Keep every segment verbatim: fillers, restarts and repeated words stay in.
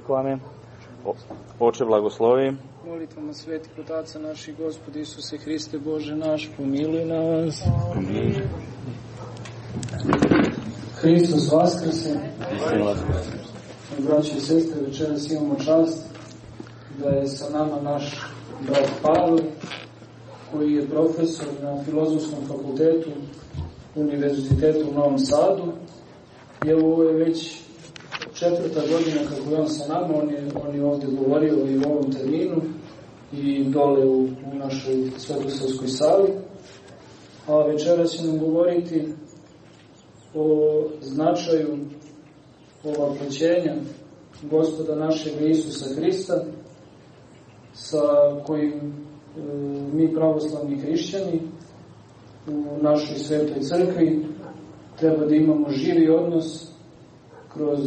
rekao amen. O, oče blagoslovi. Molitvama svetih otaca naših, Gospodi Isuse Hriste, Bože naš, pomiluj nas. Amin. Hristos vaskrse. Istina vaskrse. Braći i sestre, večeras imamo čast da je sa nama naš brat Pavle, koji je profesor na Filozofskom fakultetu Univerzitetu u Novom Sadu. I evo, ovo je već četvrta godina kako je on sa nama. On je, on je ovdje govorio i u ovom terminu i dole u, u našoj Svetosavskoj sali. A večeras će nam govoriti o značaju ovaproćenja Gospoda našeg Isusa Hrista, sa kojim e, mi pravoslavni hrišćani u našoj svetoj crkvi treba da imamo živi odnos kroz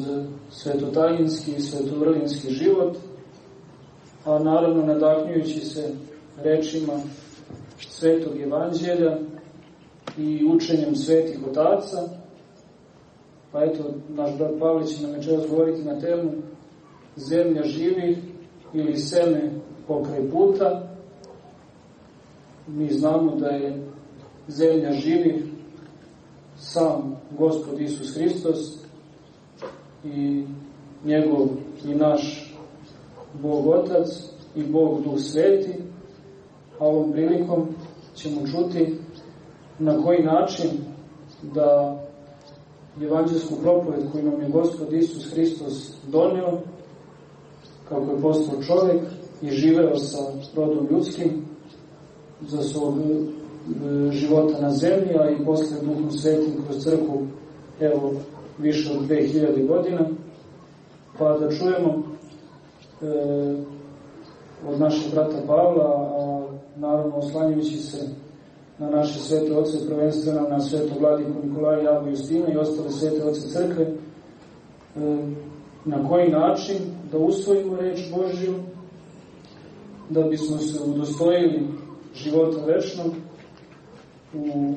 svetotajinski i svetovrlinski život, a naravno nadahnjujući se rečima Svetog Evanđelja i učenjem svetih otaca. Pa eto, naš brat Pavle će nam večeras govoriti na temu zemlja živih ili seme pokraj puta. Mi znamo da je zemlja živih sam Gospod Isus Hristos i njegov i naš Bog Otac i Bog Duh Sveti, a ovom prilikom ćemo čuti na koji način da evanđelsku propoved koju nam je Gospod Isus Hristos doneo, kako je postao čovjek i živeo sa rodom ljudskim za svog života na zemlji, a i posle Duhom Svetim kroz crkvu, evo, više od dve hiljade godina, pa da čujemo e, od našeg brata Pavla, a naravno oslanjajući se na naše svete oce, prvenstveno na svetog vladiku Nikolaja, Javu, Justina i ostale svete oce crkve, e, na koji način da usvojimo reč Božju, da bismo se udostojili života večnog u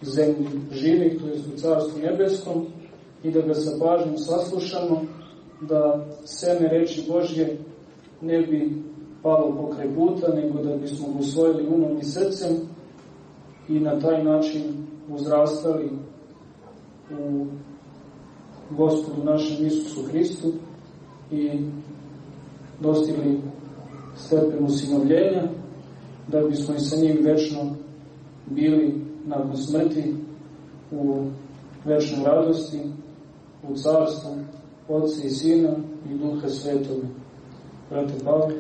zemlji živih, to je u Carstvu nebeskom, i da ga sa pažnjom saslušamo, da seme reči Božje ne bi palo pokraj puta, nego da bismo ga usvojili umom i srcem i na taj način uzrastali u Gospodu našem Isusu Hristu i dostigli stepen usinovljenja, da bismo i sa njim večno bili nakon smrti u večnoj radosti, u carstvu Otca i Sina i Duha Svetoga. Brate Pavle,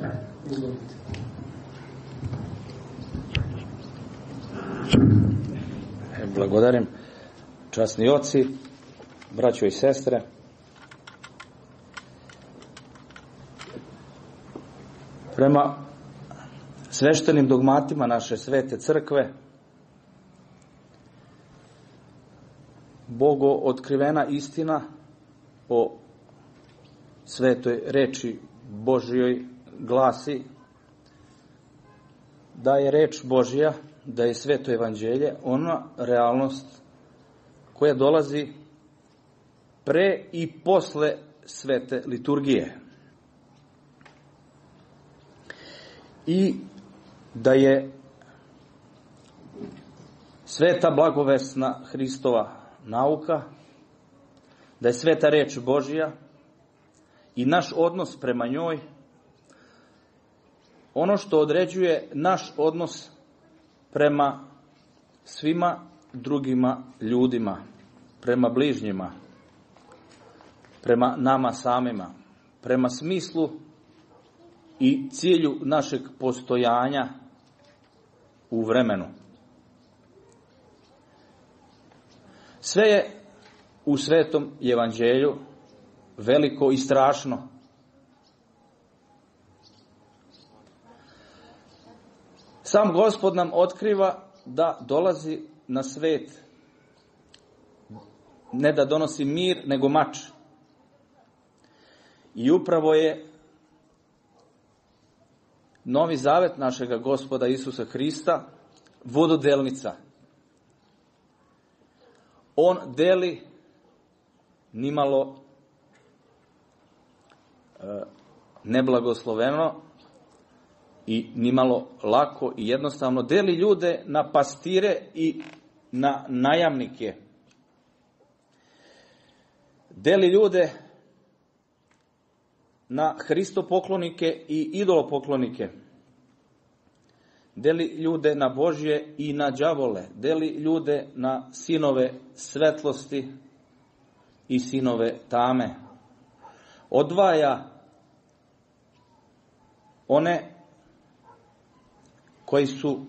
izvolite. Blagodarim, časni oci, braćo i sestre. Prema sveštenim dogmatima naše svete crkve, Bogo otkrivena istina o svetoj reči Božjoj glasi da je reč Božja, da je sveto evanđelje ona realnost koja dolazi pre i posle svete liturgije. I da je sveta blagovesna Hristova nauka, da je sveta reč Božja i naš odnos prema njoj ono što određuje naš odnos prema svima drugima ljudima, prema bližnjima, prema nama samima, prema smislu i cilju našeg postojanja u vremenu. Sve je u svetom evanđelju veliko i strašno. Sam Gospod nam otkriva da dolazi na svet ne da donosi mir, nego mač. I upravo je Novi zavet našega Gospoda Isusa Hrista vododelnica. On deli nimalo neblagosloveno i nimalo lako i jednostavno. Deli ljude na pastire i na najamnike. Deli ljude na hristopoklonike i idolopoklonike. Deli ljude na Božje i na đavole. Deli ljude na sinove svetlosti i sinove tame. Odvaja one koji su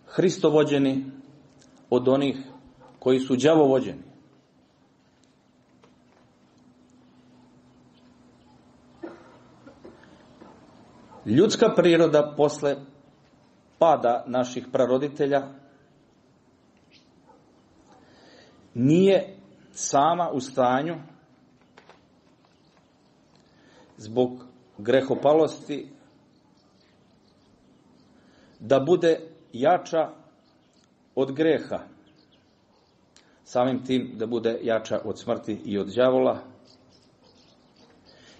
hristovođeni od onih koji su đavovođeni. Ljudska priroda posle pada naših praroditelja nije sama u stanju zbog grehopalosti da bude jača od greha, samim tim da bude jača od smrti i od đavola.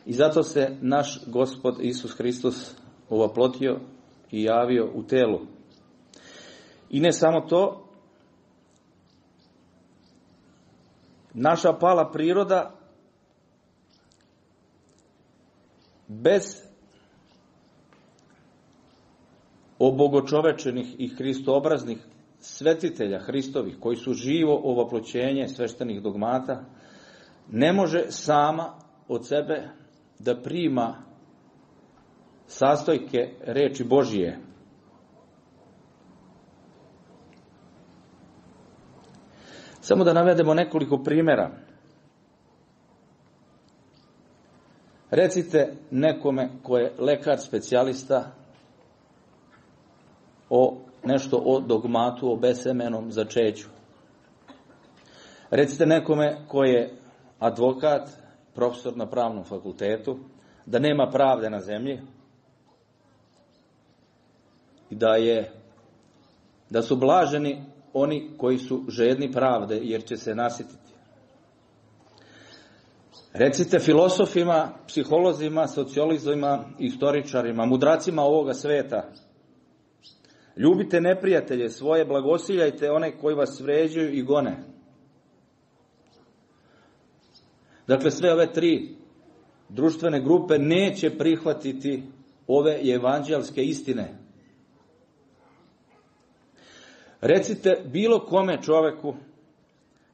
I zato se naš Gospod Isus Hristos ovaplotio i javio u telu. I ne samo to, naša pala priroda bez obogočovečenih i hristoobraznih svetitelja Hristovih, koji su živo ovaploćenje sveštenih dogmata, ne može sama od sebe da prima sastojke reči Božije. Samo da navedemo nekoliko primjera. Recite nekome ko je lekar specijalista o nešto o dogmatu, o besemenom začeću. Recite nekome ko je advokat, profesor na pravnom fakultetu, da nema pravde na zemlji i da je da su blaženi oni koji su žedni pravde, jer će se nasititi. Recite filosofima, psiholozima, sociolozima, istoričarima, mudracima ovoga sveta: ljubite neprijatelje svoje, blagosiljajte one koji vas vređaju i gone. Dakle, sve ove tri društvene grupe neće prihvatiti ove evanđelske istine. Recite bilo kome čoveku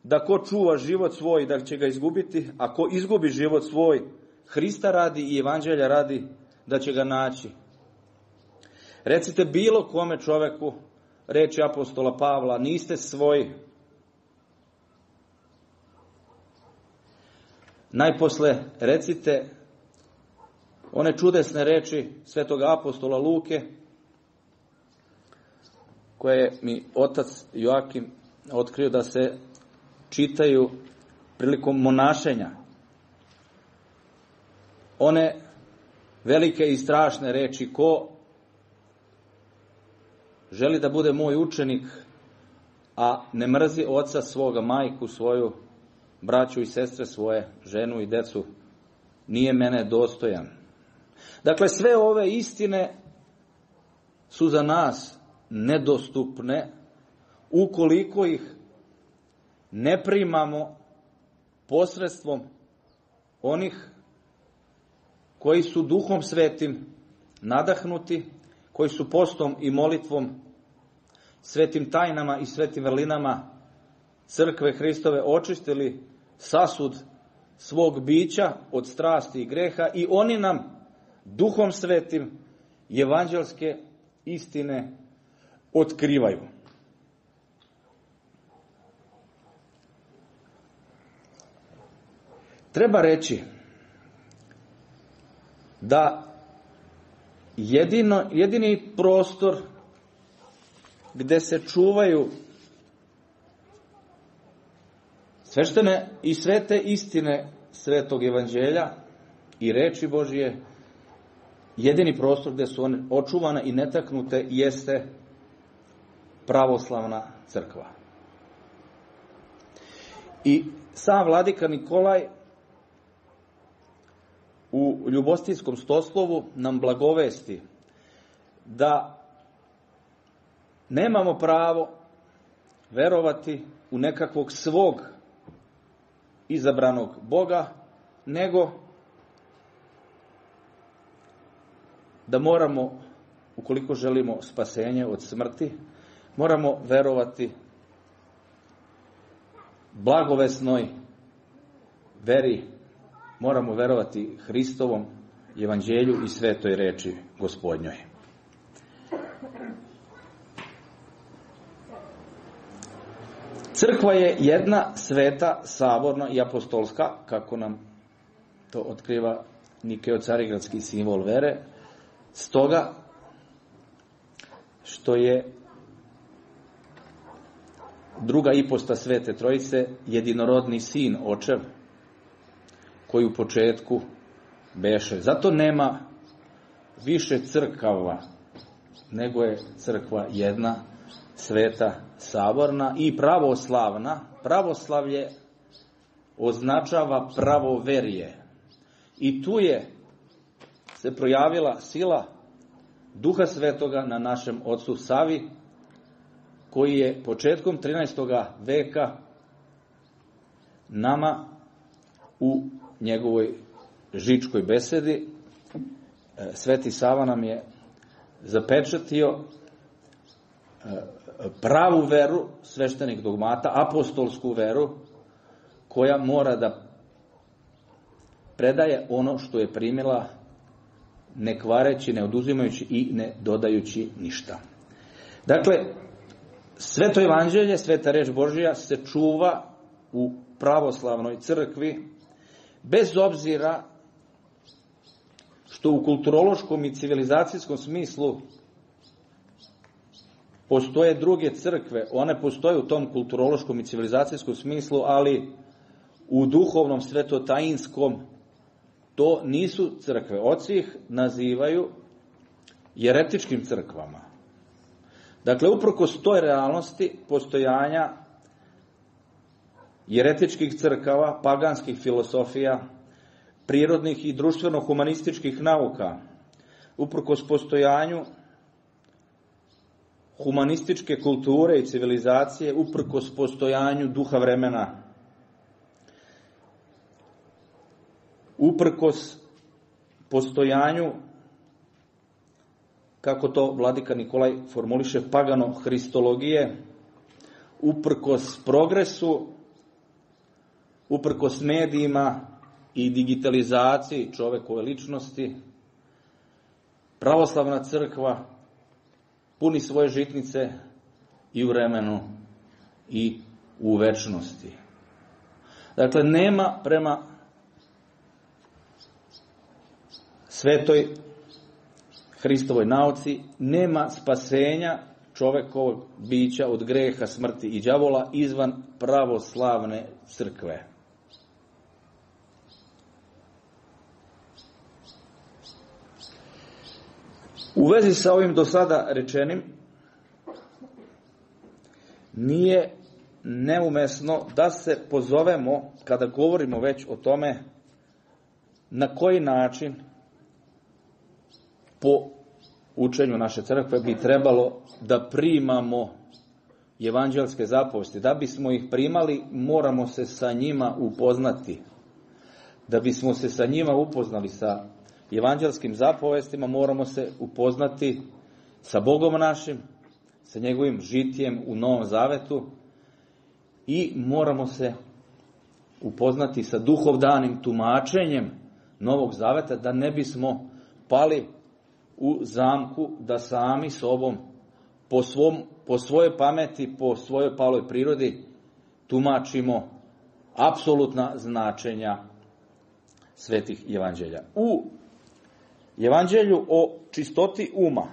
da ko čuva život svoj da će ga izgubiti, a ko izgubi život svoj Hrista radi i evanđelja radi da će ga naći. Recite bilo kome čoveku reči apostola Pavla: niste svoji. Najposle recite one čudesne reči svetog apostola Luke, koje mi otac Joakim otkrio da se čitaju prilikom monašenja. One velike i strašne reči: ko želi da bude moj učenik, a ne mrzi oca svoga, majku svoju, braću i sestre svoje, ženu i decu, nije mene dostojan. Dakle, sve ove istine su za nas nedostupne ukoliko ih ne primamo posredstvom onih koji su Duhom Svetim nadahnuti, koji su postom i molitvom, svetim tajnama i svetim vrlinama crkve Hristove očistili sasud svog bića od strasti i greha, i oni nam Duhom Svetim evanđelske istine otkrivaju. Treba reći da jedino, jedini prostor gde se čuvaju sveštene i svete istine svetog evanđelja i reči Božije, jedini prostor gde su one očuvane i netaknute jeste pravoslavna crkva. I sam vladika Nikolaj u ljubostinskom stoslovu nam blagovesti da nemamo pravo verovati u nekakvog svog izabranog Boga, nego da moramo, ukoliko želimo spasenje od smrti, moramo verovati blagovesnoj veri, moramo verovati Hristovom evanđelju i svetoj reči Gospodnjoj. Crkva je jedna, sveta, saborna i apostolska, kako nam to otkriva Nikeo-carigradski simbol vere, stoga što je druga iposta Svete Trojice jedinorodni sin, očev, koji u početku beše. Zato nema više crkava, nego je crkva jedna, sveta, saborna i pravoslavna. Pravoslavlje označava pravoverje. I tu je se projavila sila Duha Svetoga na našem ocu Savi, koji je početkom trinaestog veka nama u njegovoj žičkoj besedi, Sveti Sava nam je zapečatio pravu veru sveštenih dogmata, apostolsku veru, koja mora da predaje ono što je primila, ne kvareći, ne oduzimajući i ne dodajući ništa. Dakle, sveto evanđelje, sveta reč Božja se čuva u pravoslavnoj crkvi, bez obzira što u kulturološkom i civilizacijskom smislu postoje druge crkve. One postoje u tom kulturološkom i civilizacijskom smislu, ali u duhovnom, svetotajinskom to nisu crkve. Oci ih nazivaju jeretičkim crkvama. Dakle, uprkos toj realnosti postojanja jeretičkih crkava, paganskih filosofija, prirodnih i društveno-humanističkih nauka, uprkos postojanju humanističke kulture i civilizacije, uprkos postojanju duha vremena, uprkos postojanju, kako to vladika Nikolaj formuliše, pagano-hristologije, uprkos progresu, uprkos medijima i digitalizaciji čovekove ličnosti, pravoslavna crkva puni svoje žitnice i u vremenu i u večnosti. Dakle, nema prema svetoj Hristovoj nauci, nema spasenja čovekovog bića od greha, smrti i đavola izvan pravoslavne crkve. U vezi sa ovim do sada rečenim, nije neumesno da se pozovemo, kada govorimo već o tome, na koji način po učenju naše crkve bi trebalo da primamo evanđelske zapovesti. Da bismo ih primali, moramo se sa njima upoznati. Da bismo se sa njima upoznali, sa evanđelskim zapovestima, moramo se upoznati sa Bogom našim, sa njegovim žitjem u Novom Zavetu i moramo se upoznati sa duhovdanim tumačenjem Novog Zaveta, da ne bismo pali u zamku da sami sobom, po, svom, po svojoj pameti, po svojoj paloj prirodi, tumačimo apsolutna značenja svetih evanđelja. U evanđelju o čistoti uma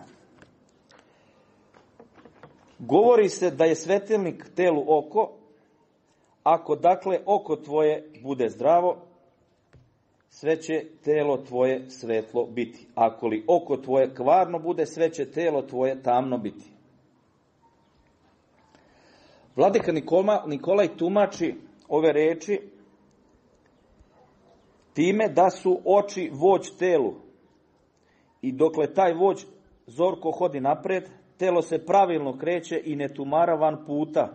govori se da je svetilnik telu oko. Ako dakle oko tvoje bude zdravo, sve će telo tvoje svetlo biti. Ako li oko tvoje kvarno bude, sve će telo tvoje tamno biti. Vladika Nikolaj tumači ove reči time da su oči vođ telu. I dokle taj vođ zorko hodi napred, telo se pravilno kreće i ne tumara van puta.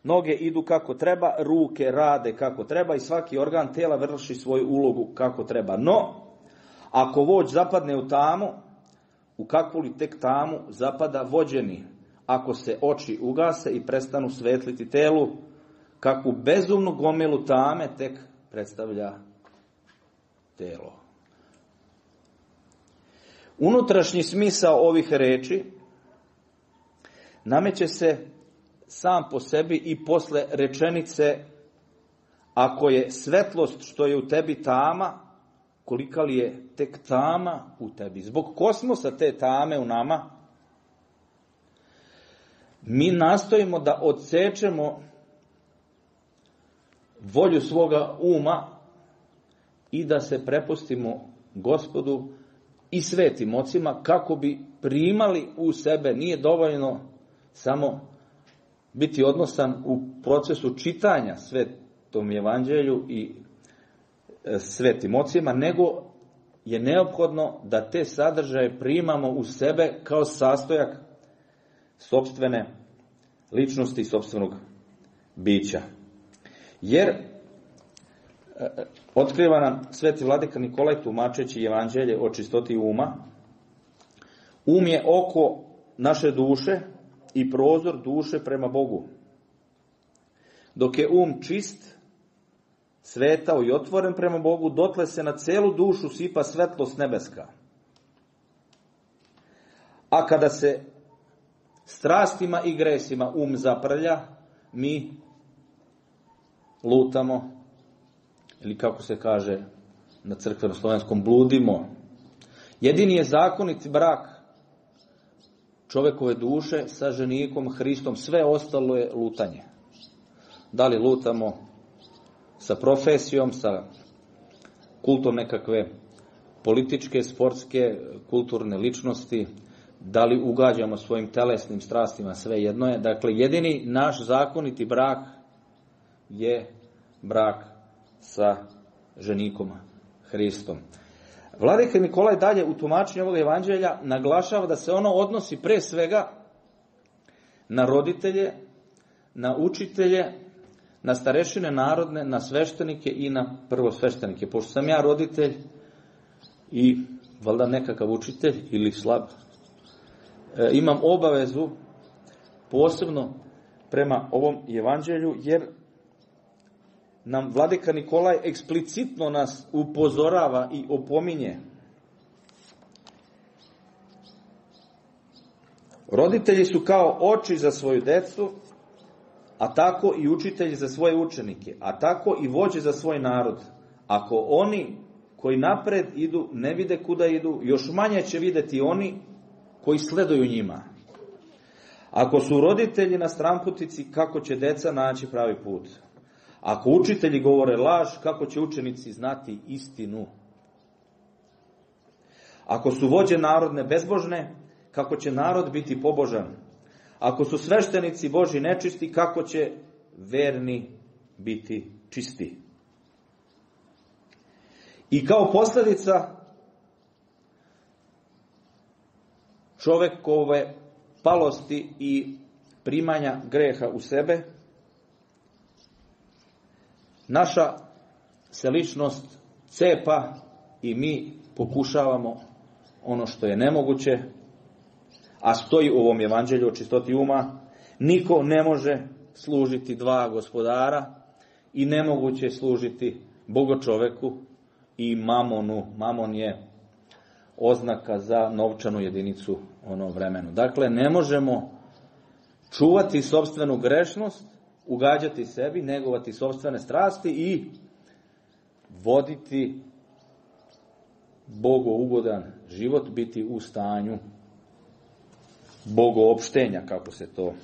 Noge idu kako treba, ruke rade kako treba i svaki organ tela vrši svoju ulogu kako treba. No, ako vođ zapadne u tamu, u kakvu li tek tamu zapada vođeni? Ako se oči ugase i prestanu svetliti telu, kakvu bezumnu gomilu tame tek predstavlja telo. Unutrašnji smisao ovih reči nameće se sam po sebi i posle rečenice: ako je svetlost što je u tebi tama, kolika li je tek tama u tebi. Zbog kosmosa te tame u nama, mi nastojimo da odsečemo volju svoga uma i da se prepustimo Gospodu i svetim ocima kako bi primali u sebe. Nije dovoljno samo biti odnosan u procesu čitanja svetom evanđelju i svetim ocima, nego je neophodno da te sadržaje primamo u sebe kao sastojak sopstvene ličnosti i sopstvenog bića. Jer otkriva nam sveti vladika Nikolaj tumačeći evanđelje o čistoti uma. Um je oko naše duše i prozor duše prema Bogu. Dok je um čist, svetao i otvoren prema Bogu, dotle se na celu dušu sipa svetlost nebeska. A kada se strastima i gresima um zaprlja, mi lutamo, ili kako se kaže na crkveno-slovenskom, bludimo. Jedini je zakonit brak čovekove duše sa ženikom Hristom, sve ostalo je lutanje. Da li lutamo sa profesijom, sa kultom nekakve političke, sportske, kulturne ličnosti, da li ugađamo svojim telesnim strastima, sve jedno je. Dakle, jedini naš zakoniti brak je brak sa ženikom Hristom. Vladika Nikolaj dalje u tumačenju ovog evanđelja naglašava da se ono odnosi pre svega na roditelje, na učitelje, na starešine narodne, na sveštenike i na prvosveštenike. Pošto sam ja roditelj i valjda nekakav učitelj ili slab, e, imam obavezu posebno prema ovom evanđelju, jer nam vladika Nikolaj eksplicitno nas upozorava i opominje. Roditelji su kao oči za svoju decu, a tako i učitelji za svoje učenike, a tako i vođe za svoj narod. Ako oni koji napred idu ne vide kuda idu, još manje će videti oni koji sleduju njima. Ako su roditelji na stramputici, kako će deca naći pravi put? Ako učitelji govore laž, kako će učenici znati istinu? Ako su vođe narodne bezbožne, kako će narod biti pobožan? Ako su sveštenici Božji nečisti, kako će verni biti čisti? I kao posljedica čovekove palosti i primanja greha u sebe, naša se ličnost cepa i mi pokušavamo ono što je nemoguće, a stoji u ovom evanđelju o čistoti uma: niko ne može služiti dva gospodara i nemoguće je služiti Bogočoveku i mamonu. Mamon je oznaka za novčanu jedinicu u onom vremenu. Dakle, ne možemo čuvati sopstvenu grešnost, ugađati sebi, negovati sopstvene strasti i voditi bogougodan život, biti u stanju bogoopštenja, kako se to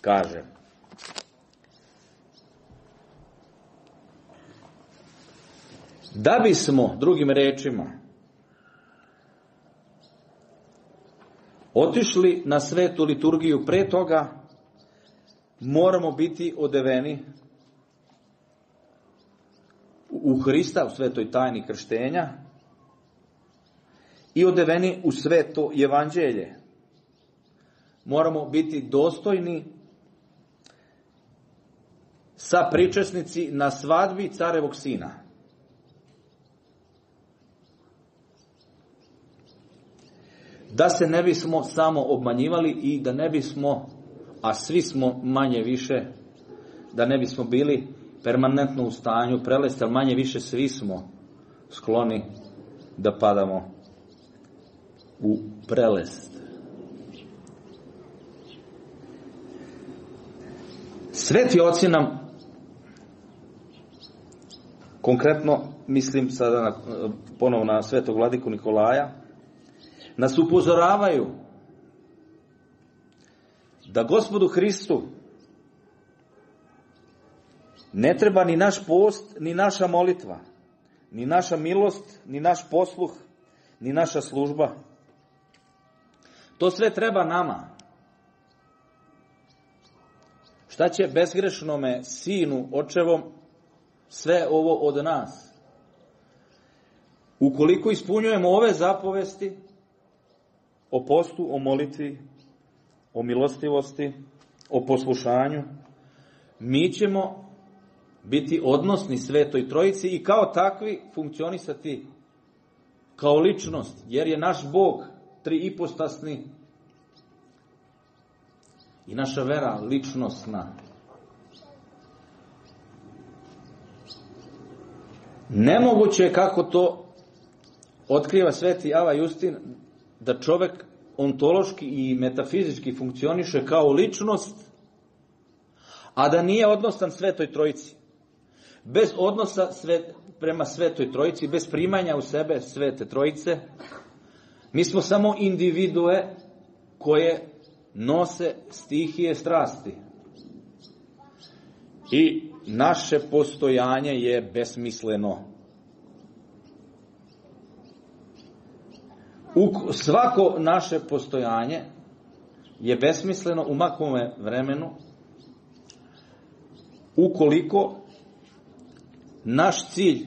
kaže. Da bismo, drugim rečima, otišli na svetu liturgiju pre toga, moramo biti odeveni u Hrista, u svetoj tajni krštenja i odeveni u sveto evanđelje. Moramo biti dostojni sa pričesnici na svadbi carevog sina. Da se ne bismo samo obmanjivali i da ne bismo, a svi smo manje više, da ne bismo bili permanentno u stanju prelesti, ali manje više svi smo skloni da padamo u prelest. Sveti oci nam, konkretno mislim sada na, ponovo na svetog vladiku Nikolaja, nas upozoravaju da Gospodu Hristu ne treba ni naš post, ni naša molitva, ni naša milost, ni naš posluh, ni naša služba. To sve treba nama. Šta će bezgrešnome sinu očevom sve ovo od nas? Ukoliko ispunjujemo ove zapovesti o postu, o molitvi, o milostivosti, o poslušanju, mi ćemo biti odnosni Svetoj Trojici i kao takvi funkcionisati kao ličnost, jer je naš Bog triipostasni i naša vera ličnostna. Nemoguće je, kako to otkriva sveti Ava Justin, da čovek ontološki i metafizički funkcioniše kao ličnost, a da nije odnosan Svetoj Trojici. Bez odnosa sve, prema Svetoj Trojici, bez primanja u sebe Svete Trojice, mi smo samo individue koje nose stihije strasti. I naše postojanje je besmisleno. U svako naše postojanje je besmisleno u makome vremenu ukoliko naš cilj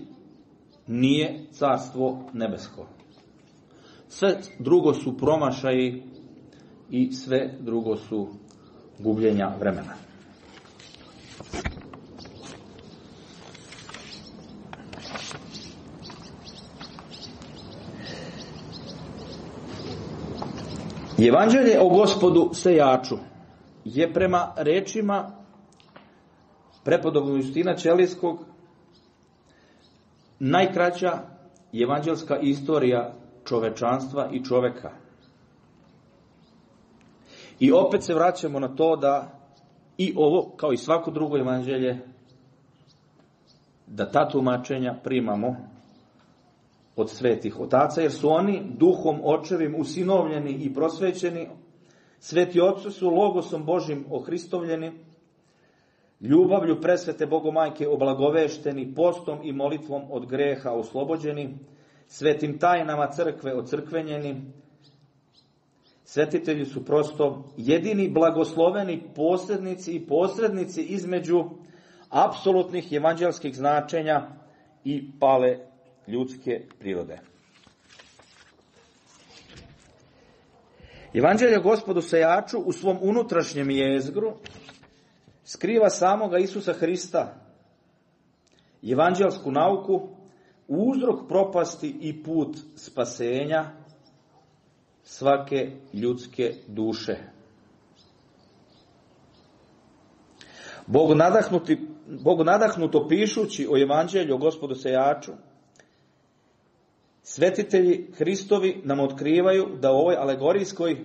nije carstvo nebesko. Sve drugo su promašaji i sve drugo su gubljenja vremena. Evanđelje o Gospodu sejaču je prema rečima prepodobnog Justina Ćelijskog najkraća evanđelska istorija čovečanstva i čoveka. I opet se vraćamo na to da i ovo, kao i svako drugo evanđelje, da ta tumačenja primamo od svetih otaca, jer su oni duhom očevim usinovljeni i prosvećeni. Sveti oci su logosom Božim ohristovljeni, ljubavlju presvete Bogomajke oblagovešteni, postom i molitvom od greha oslobođeni, svetim tajnama crkve ocrkvenjeni. Svetitelji su prosto jedini blagosloveni posrednici i posrednici između apsolutnih evanđelskih značenja i pale ljudske prirode. Evanđelje Gospodu sejaču u svom unutrašnjem jezgru skriva samoga Isusa Hrista, evanđelsku nauku, uzrok propasti i put spasenja svake ljudske duše. Bog nadahnuti, Bog nadahnuto pišući o evanđelju o Gospodu sejaču, svetitelji Hristovi nam otkrivaju da u ovoj alegorijskoj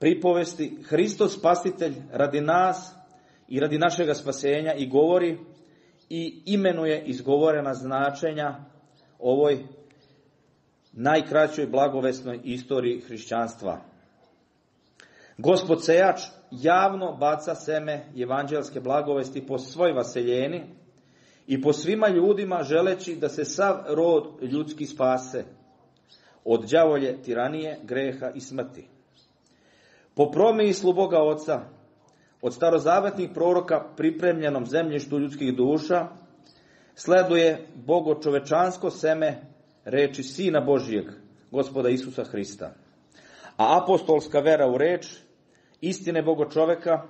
pripovesti Hristos spasitelj radi nas i radi našega spasenja i govori i imenuje izgovorena značenja ovoj najkraćoj blagovesnoj istoriji hrišćanstva. Gospod sejač javno baca seme evanđelske blagovesti po svoj vaseljeni i po svima ljudima, želeći da se sav rod ljudski spase od đavolje tiranije, greha i smrti. Po promislu Boga Oca, od starozavetnih proroka pripremljenom zemljištu ljudskih duša, sleduje bogočovečansko seme reči Sina Božijeg, Gospoda Isusa Hrista. A apostolska vera u reč, istine Bogočoveka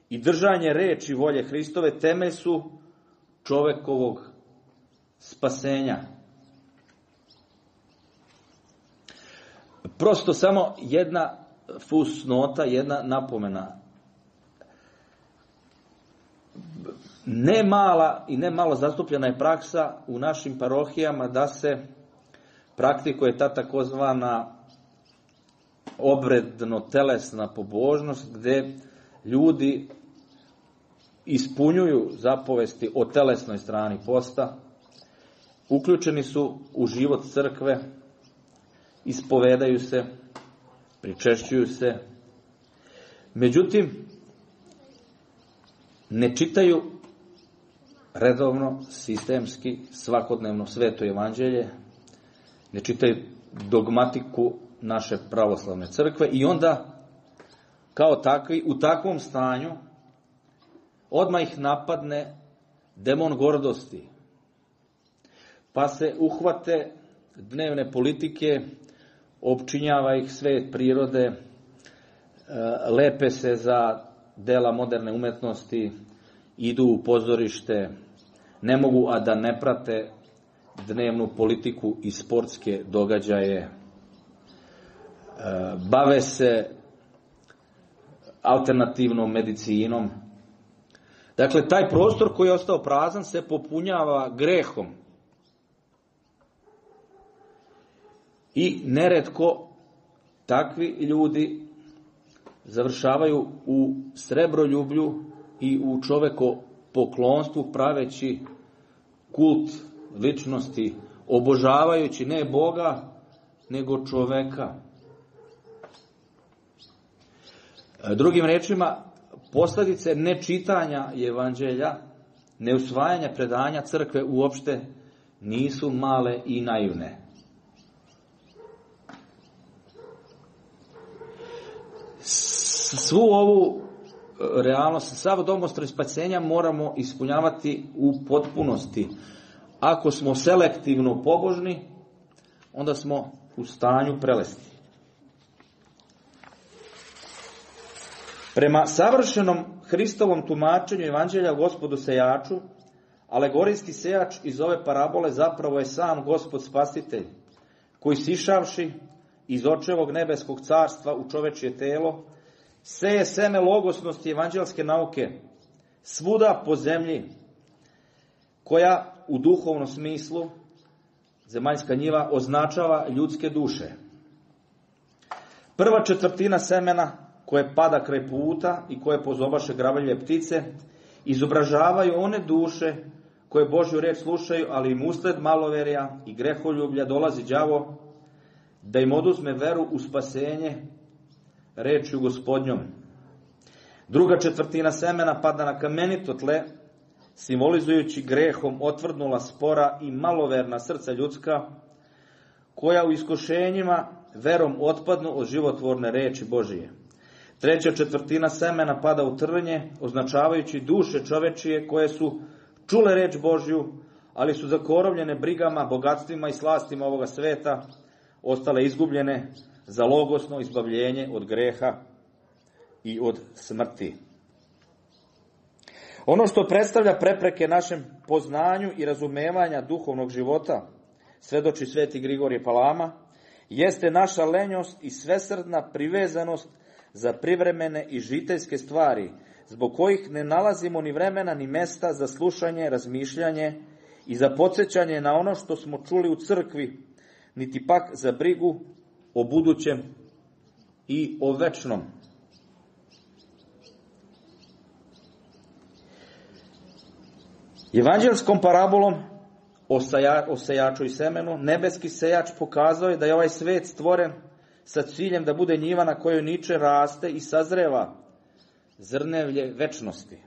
i držanje reči volje Hristove temelj su čovekovog spasenja. Prosto samo jedna fusnota, jedna napomena. Ne mala i ne malo zastupljena je praksa u našim parohijama da se praktikuje ta takozvana obredno-telesna pobožnost, gde ljudi ispunjuju zapovesti o telesnoj strani posta, uključeni su u život crkve, ispovedaju se, pričešćuju se, međutim, ne čitaju redovno, sistemski, svakodnevno sveto evanđelje, ne čitaju dogmatiku naše pravoslavne crkve i onda, kao takvi, u takvom stanju, odmah ih napadne demon gordosti, pa se uhvate dnevne politike, opčinjava ih svet prirode, lepe se za dela moderne umetnosti, idu u pozorište, ne mogu a da ne prate dnevnu politiku i sportske događaje, bave se alternativnom medicinom. Dakle, taj prostor koji je ostao prazan se popunjava grehom. I neretko takvi ljudi završavaju u srebroljublju i u čovekopoklonstvu, praveći kult ličnosti, obožavajući ne Boga, nego čoveka. Drugim rečima, posledice nečitanja evanđelja, neusvajanja predanja crkve uopšte nisu male i naivne. Svu ovu realnost, sav domostroj spasenja moramo ispunjavati u potpunosti. Ako smo selektivno pobožni, onda smo u stanju prelesti. Prema savršenom Hristovom tumačenju evanđelja o Gospodu sejaču, alegorijski sejač iz ove parabole zapravo je sam Gospod Spasitelj, koji sišavši iz očevog nebeskog carstva u čovečje telo, seje seme logosnosti evanđelske nauke svuda po zemlji, koja u duhovnom smislu, zemaljska njiva, označava ljudske duše. Prva četvrtina semena koje pada kraj puta i koje pozobaše gravelje ptice, izobražavaju one duše koje Božju reč slušaju, ali im usled maloverja i greholjublja dolazi đavo da im oduzme veru u spasenje rečju Gospodnjom. Druga četvrtina semena pada na kamenito tle, simbolizujući grehom otvrdnula spora i maloverna srca ljudska, koja u iskušenjima verom otpadnu od životvorne reči Božije. Treća četvrtina semena pada u trnje, označavajući duše čovečije koje su čule reč Božju, ali su zakorovljene brigama, bogatstvima i slastima ovoga sveta, ostale izgubljene za logosno izbavljenje od greha i od smrti. Ono što predstavlja prepreke našem poznanju i razumevanja duhovnog života, svedoči sveti Grigorije Palama, jeste naša lenjost i svesrdna privezanost za privremene i žiteljske stvari, zbog kojih ne nalazimo ni vremena ni mesta za slušanje, razmišljanje i za podsjećanje na ono što smo čuli u crkvi, niti pak za brigu o budućem i o večnom. Evanđelskom parabolom o, saja, o sejaču i semenu, nebeski sejač pokazao je da je ovaj svet stvoren sa ciljem da bude njiva na kojoj niče, raste i sazreva zrnevlje večnosti.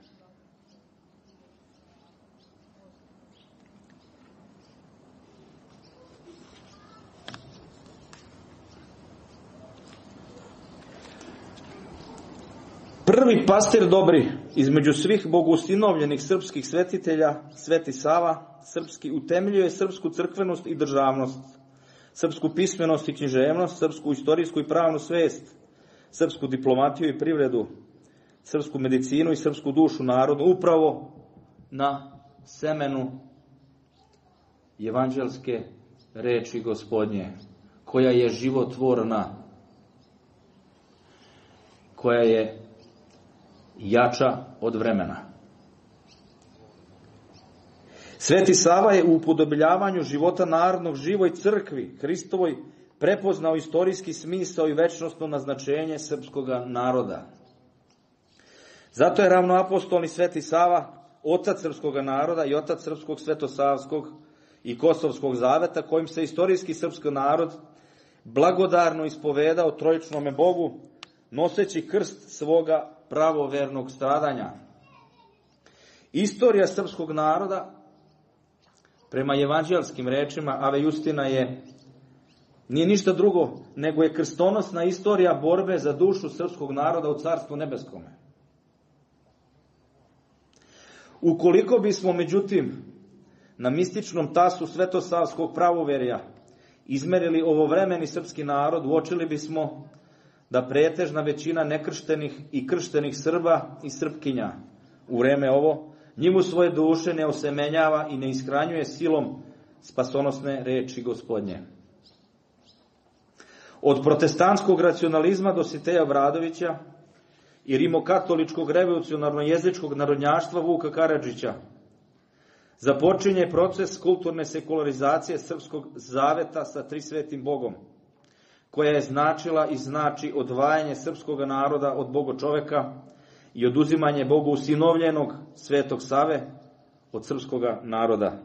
Prvi pastir dobri između svih bogustinovljenih srpskih svetitelja, Sveti Sava, srpski utemeljuje srpsku crkvenost i državnost, srpsku pismenost i književnost, srpsku istorijsku i pravnu svest, srpsku diplomatiju i privredu, srpsku medicinu i srpsku dušu narodu, upravo na semenu evanđelske reči Gospodnje, koja je životvorna, koja je jača od vremena. Sveti Sava je u upodobljavanju života narodnog živoj crkvi Hristovoj prepoznao istorijski smisao i večnostno naznačenje srpskog naroda. Zato je ravnoapostolni Sveti Sava otac srpskog naroda i otac srpskog svetosavskog i kosovskog zaveta, kojim se istorijski srpski narod blagodarno ispovedao trojičnome Bogu, noseći krst svoga pravovernog stradanja. Istorija srpskog naroda, prema evanđelskim rečima Ave Justina, je nije ništa drugo nego je krstonosna istorija borbe za dušu srpskog naroda u Carstvu nebeskome. Ukoliko bismo, međutim, na mističnom tasu svetosavskog pravoverja izmerili ovovremeni srpski narod, uočili bismo da pretežna većina nekrštenih i krštenih Srba i Srpkinja u vreme ovo njemu svoje duše ne osemenjava i ne ishranjuje silom spasonosne reči Gospodnje. Od protestantskog racionalizma Dositeja Vradovića i rimokatoličkog revolucionarno-jezičkog narodnjaštva Vuka Karadžića započinje proces kulturne sekularizacije srpskog zaveta sa Trisvetim Bogom, koja je značila i znači odvajanje srpskog naroda od bogočoveka i oduzimanje Bogu usinovljenog Svetog Save od srpskog naroda.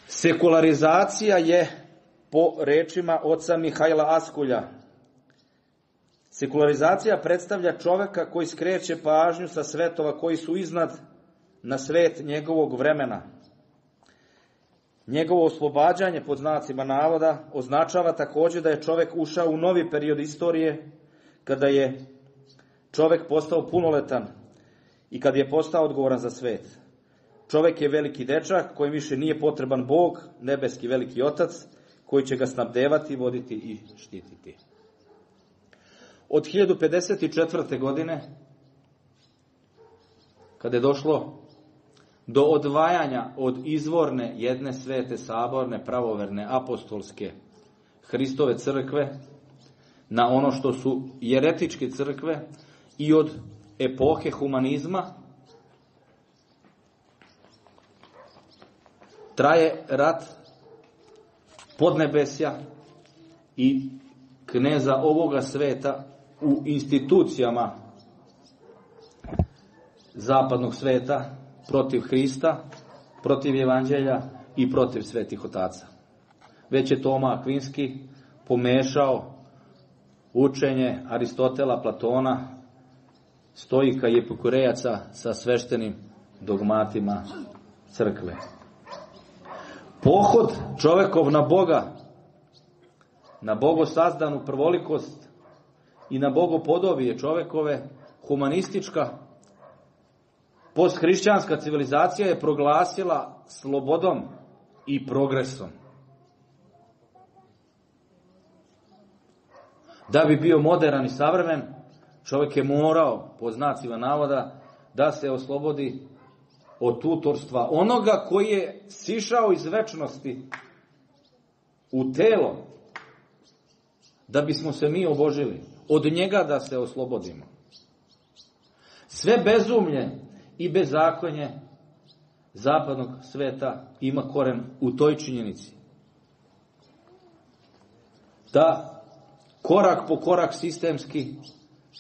Sekularizacija je, po rečima oca Mihajla Askulja, sekularizacija predstavlja čoveka koji skreće pažnju sa svetova koji su iznad na svet njegovog vremena. Njegovo oslobađanje, pod znacima navoda, označava također da je čovek ušao u novi period istorije, kada je čovek postao punoletan i kad je postao odgovoran za svet. Čovek je veliki dečak kojem više nije potreban Bog, nebeski veliki otac, koji će ga snabdevati, voditi i štititi. Od hiljadu pedeset četvrte. godine, kada je došlo do odvajanja od izvorne jedne svete, saborne, pravoverne, apostolske Hristove crkve na ono što su jeretičke crkve i od epohe humanizma, traje rat podnebesja i kneza ovoga sveta u institucijama zapadnog sveta protiv Hrista, protiv evanđelja i protiv svetih otaca. Već je Toma Akvinski pomešao učenje Aristotela, Platona, Stoika i Epikurejaca sa sveštenim dogmatima crkve. Pohod čovekov na Boga, na bogosazdanu prvolikost i na bogopodobije čovekove, humanistička posthrišćanska civilizacija je proglasila slobodom i progresom. Da bi bio moderan i savremen, čovjek je morao, po znacima navoda, da se oslobodi od tutorstva onoga koji je sišao iz večnosti u telo, da bismo se mi obožili. Od njega da se oslobodimo. Sve bezumlje i bezakonje zapadnog sveta ima koren u toj činjenici. Da korak po korak sistemski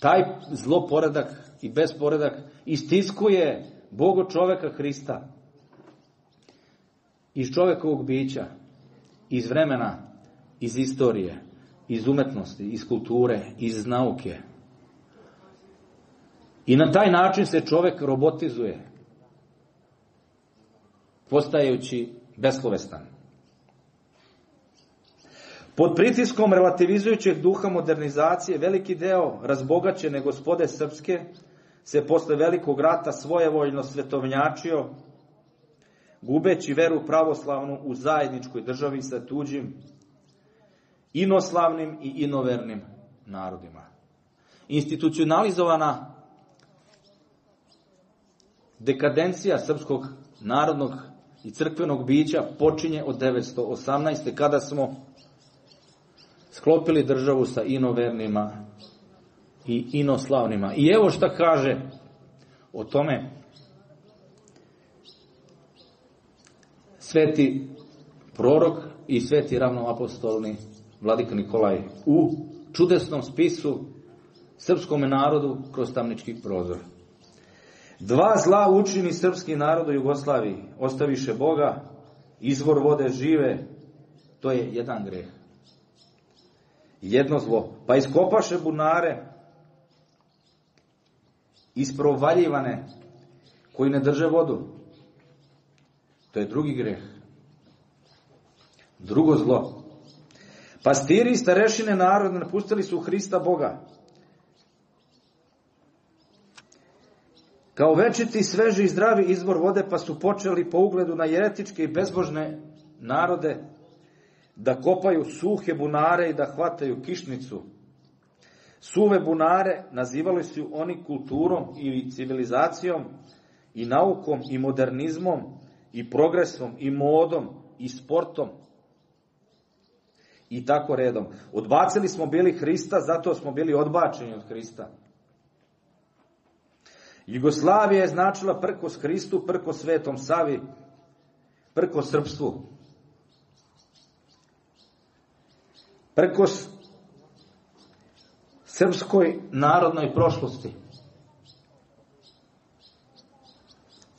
taj zloporedak i besporedak istiskuje Bogo čoveka Hrista iz čovekovog bića, iz vremena, iz istorije, iz umetnosti, iz kulture, iz nauke. I na taj način se čovek robotizuje, postajući beslovestan. Pod pritiskom relativizujućeg duha modernizacije, veliki deo razbogaćene gospode srpske se posle velikog rata svojevoljno svetovnjačio, gubeći veru pravoslavnu u zajedničkoj državi sa tuđim, inoslavnim i inovernim narodima. Institucionalizovana dekadencija srpskog narodnog i crkvenog bića počinje od devetsto osamnaeste. kada smo sklopili državu sa inovernima i inoslavnima. I evo šta kaže o tome sveti prorok i sveti ravnoapostolni vladika Nikolaj u čudesnom spisu srpskom narodu kroz tamnički prozor. Dva zla učini srpski narod u Jugoslaviji. Ostaviše Boga, izvor vode žive, to je jedan greh. Jedno zlo. Pa iskopaše bunare, isprovaljivane, koji ne drže vodu. To je drugi greh. Drugo zlo. Pastiri i starešine narodne napustili su Hrista Boga. Kao večiti, sveži i zdravi izvor vode, pa su počeli po ugledu na jeretičke i bezbožne narode da kopaju suhe bunare i da hvataju kišnicu. Suve bunare nazivali su oni kulturom i civilizacijom i naukom i modernizmom i progresom i modom i sportom i tako redom. Odbacili smo bili Hrista, zato smo bili odbačeni od Hrista. Jugoslavija je značila prkos Hristu, prkos Svetom Savi, prkos srpstvu. Prkos srpskoj narodnoj prošlosti.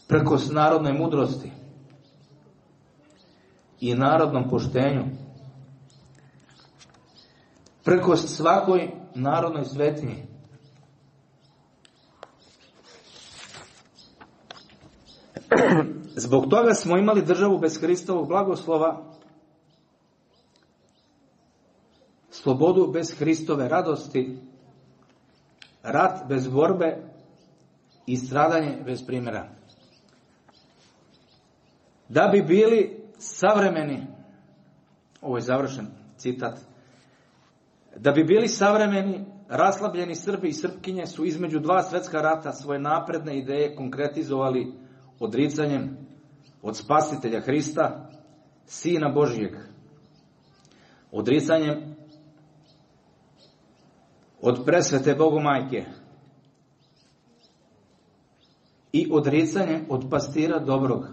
Prkos narodnoj mudrosti i narodnom poštenju. Prkos svakoj narodnoj svetinji. Zbog toga smo imali državu bez Hristovog blagoslova, slobodu bez Hristove radosti, rat bez borbe i stradanje bez primjera. Da bi bili savremeni, ovo je završen citat, da bi bili savremeni, raslabljeni Srbi i Srpkinje su između dva svetska rata svoje napredne ideje konkretizovali odricanjem od spasitelja Hrista, Sina Božijeg, odricanjem od presvete Bogomajke i odricanjem od pastira dobrog,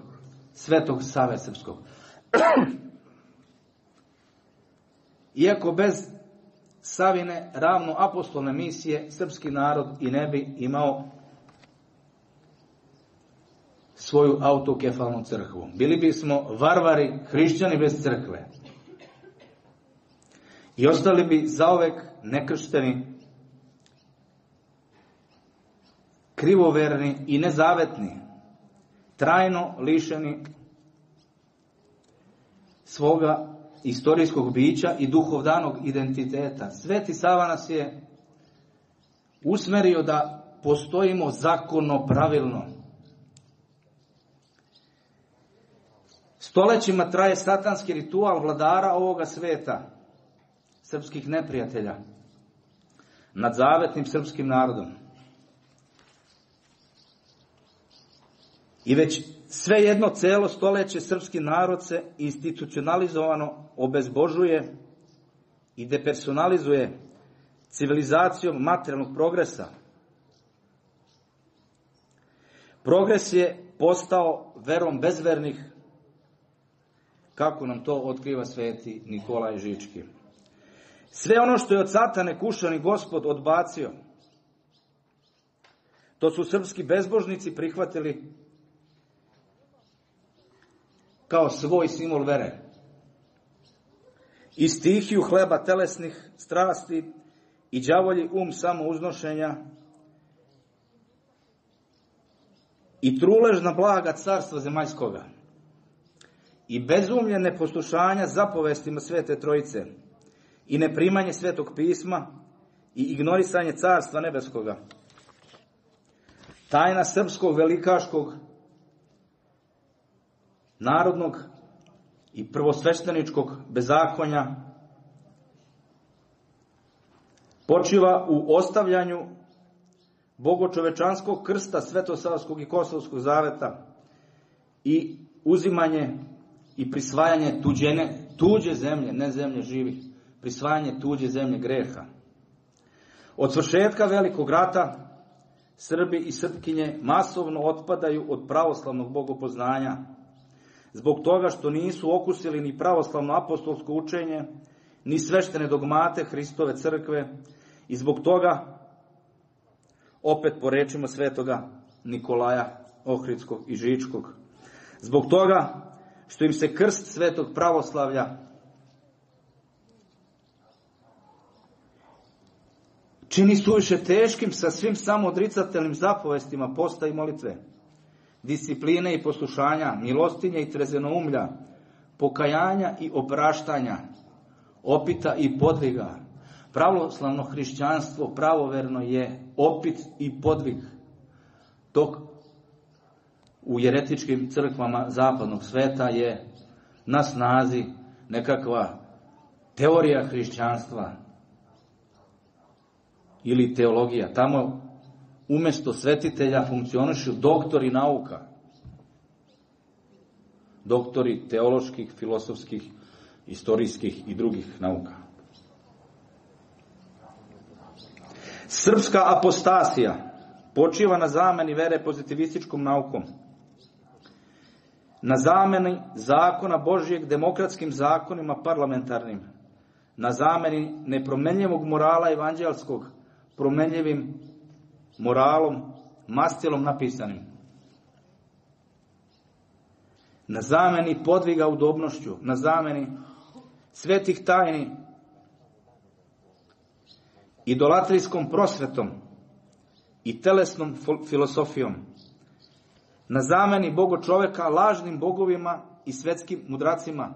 Svetog Save Srpskog. Iako bez Savine ravno apostolne misije, srpski narod i ne bi imao svoju autokefalnu crkvu. Bili bismo varvari, hrišćani bez crkve. I ostali bi zaovek nekršteni, krivoverni i nezavetni, trajno lišeni svoga istorijskog bića i duhovdanog identiteta. Sveti Sava nas je usmerio da postojimo zakonno, pravilno. Stolećima traje satanski ritual vladara ovoga sveta, srpskih neprijatelja, nad zavetnim srpskim narodom. I već sve jedno celo stoleće srpski narod se institucionalizovano obezbožuje i depersonalizuje civilizacijom materijalnog progresa. Progres je postao verom bezvernih, kako nam to otkriva sveti Nikolaj Žički. Sve ono što je od satane kušani Gospod odbacio, to su srpski bezbožnici prihvatili kao svoj simbol vere. I stihiju hleba telesnih strasti i đavolji um samouznošenja i truležna blaga carstva zemaljskoga i bezumlje neposlušanja zapovestima Svete Trojice i neprimanje Svetog pisma i ignorisanje carstva nebeskoga. tajna srpskog velikaškog narodnog i prvosvešteničkog bezakonja počiva u ostavljanju bogočovečanskog krsta Svetosavskog i Kosovskog zaveta i uzimanje i prisvajanje tuđene, tuđe zemlje, ne zemlje živih, prisvajanje tuđe zemlje greha. Od svršetka Velikog rata Srbi i Srpkinje masovno otpadaju od pravoslavnog bogopoznanja, zbog toga što nisu okusili ni pravoslavno apostolsko učenje, ni sveštene dogmate Hristove crkve, i zbog toga, opet po rečima svetoga Nikolaja Ohridskog i Žičkog, zbog toga što im se krst svetog pravoslavlja čini suviše teškim sa svim samoodricatelnim zapovestima posta i molitve, discipline i poslušanja, milostinje i trezenoumlja, pokajanja i opraštanja, opita i podviga. Pravoslavno hrišćanstvo pravoverno je opit i podvig, dok u jeretičkim crkvama zapadnog sveta je na snazi nekakva teorija hrišćanstva ili teologija. Tamo umjesto svetitelja funkcionišu doktori nauka, doktori teoloških, filosofskih, istorijskih i drugih nauka. Srpska apostasija počiva na zameni vere pozitivističkom naukom, na zameni zakona Božijeg demokratskim zakonima parlamentarnim, na zameni nepromenljivog morala evanđelskog promenljivim moralom, mastilom napisanim, na zameni podviga udobnošću, na zameni svetih tajni idolatrijskom prosvetom i telesnom filosofijom, na zameni bogo čoveka lažnim bogovima i svetskim mudracima,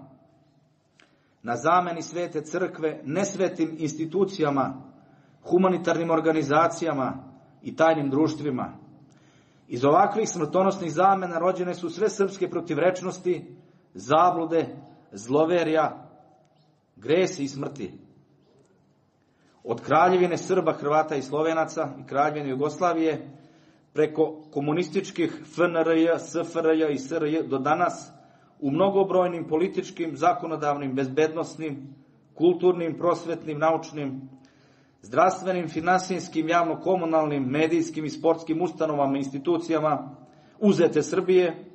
na zameni svete crkve nesvetim institucijama, humanitarnim organizacijama i tajnim društvima. Iz ovakvih smrtonosnih zamena rođene su sve srpske protivrečnosti, zablude, zloverja, gresi i smrti. Od kraljevine Srba, Hrvata i Slovenaca i kraljevine Jugoslavije, preko komunističkih F N R J, S F R J i S R J do danas, u mnogobrojnim političkim, zakonodavnim, bezbednosnim, kulturnim, prosvetnim, naučnim, zdravstvenim, finansijskim, javno-komunalnim, medijskim i sportskim ustanovama i institucijama uzete Srbije,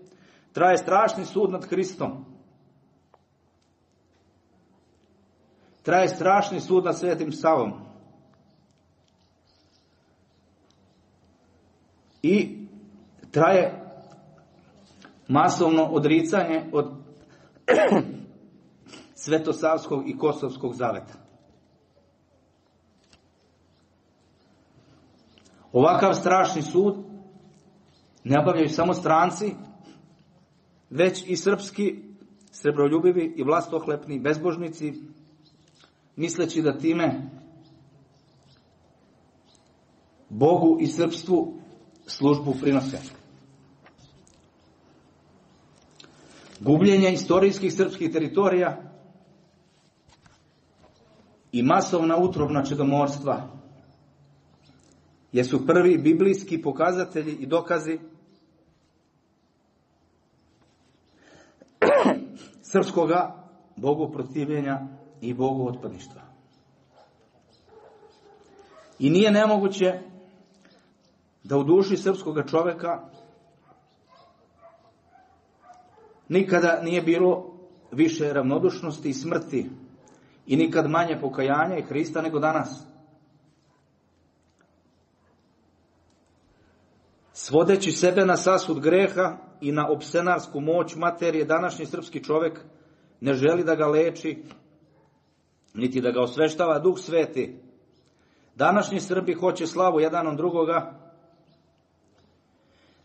traje strašni sud nad Hristom. Traje strašni sud nad Svetim Savom. I traje masovno odricanje od Svetosavskog i Kosovskog zaveta. Ovakav strašni sud ne obavljaju samo stranci, već i srpski, srebroljubivi i vlastohlepni bezbožnici, misleći da time Bogu i srpstvu službu prinose. Gubljenje istorijskih srpskih teritorija i masovna utrobna čedomorstva jesu prvi biblijski pokazatelji i dokazi srpskoga Bogu protivljenja i Bogu otpadništva. I nije nemoguće da u duši srpskoga čoveka nikada nije bilo više ravnodušnosti i smrti i nikad manje pokajanja i Hrista nego danas. Svodeći sebe na sasud greha i na opsenarsku moć materije, današnji srpski čovek ne želi da ga leči, niti da ga osveštava Duh Sveti. Današnji Srbi hoće slavu jedan od drugoga,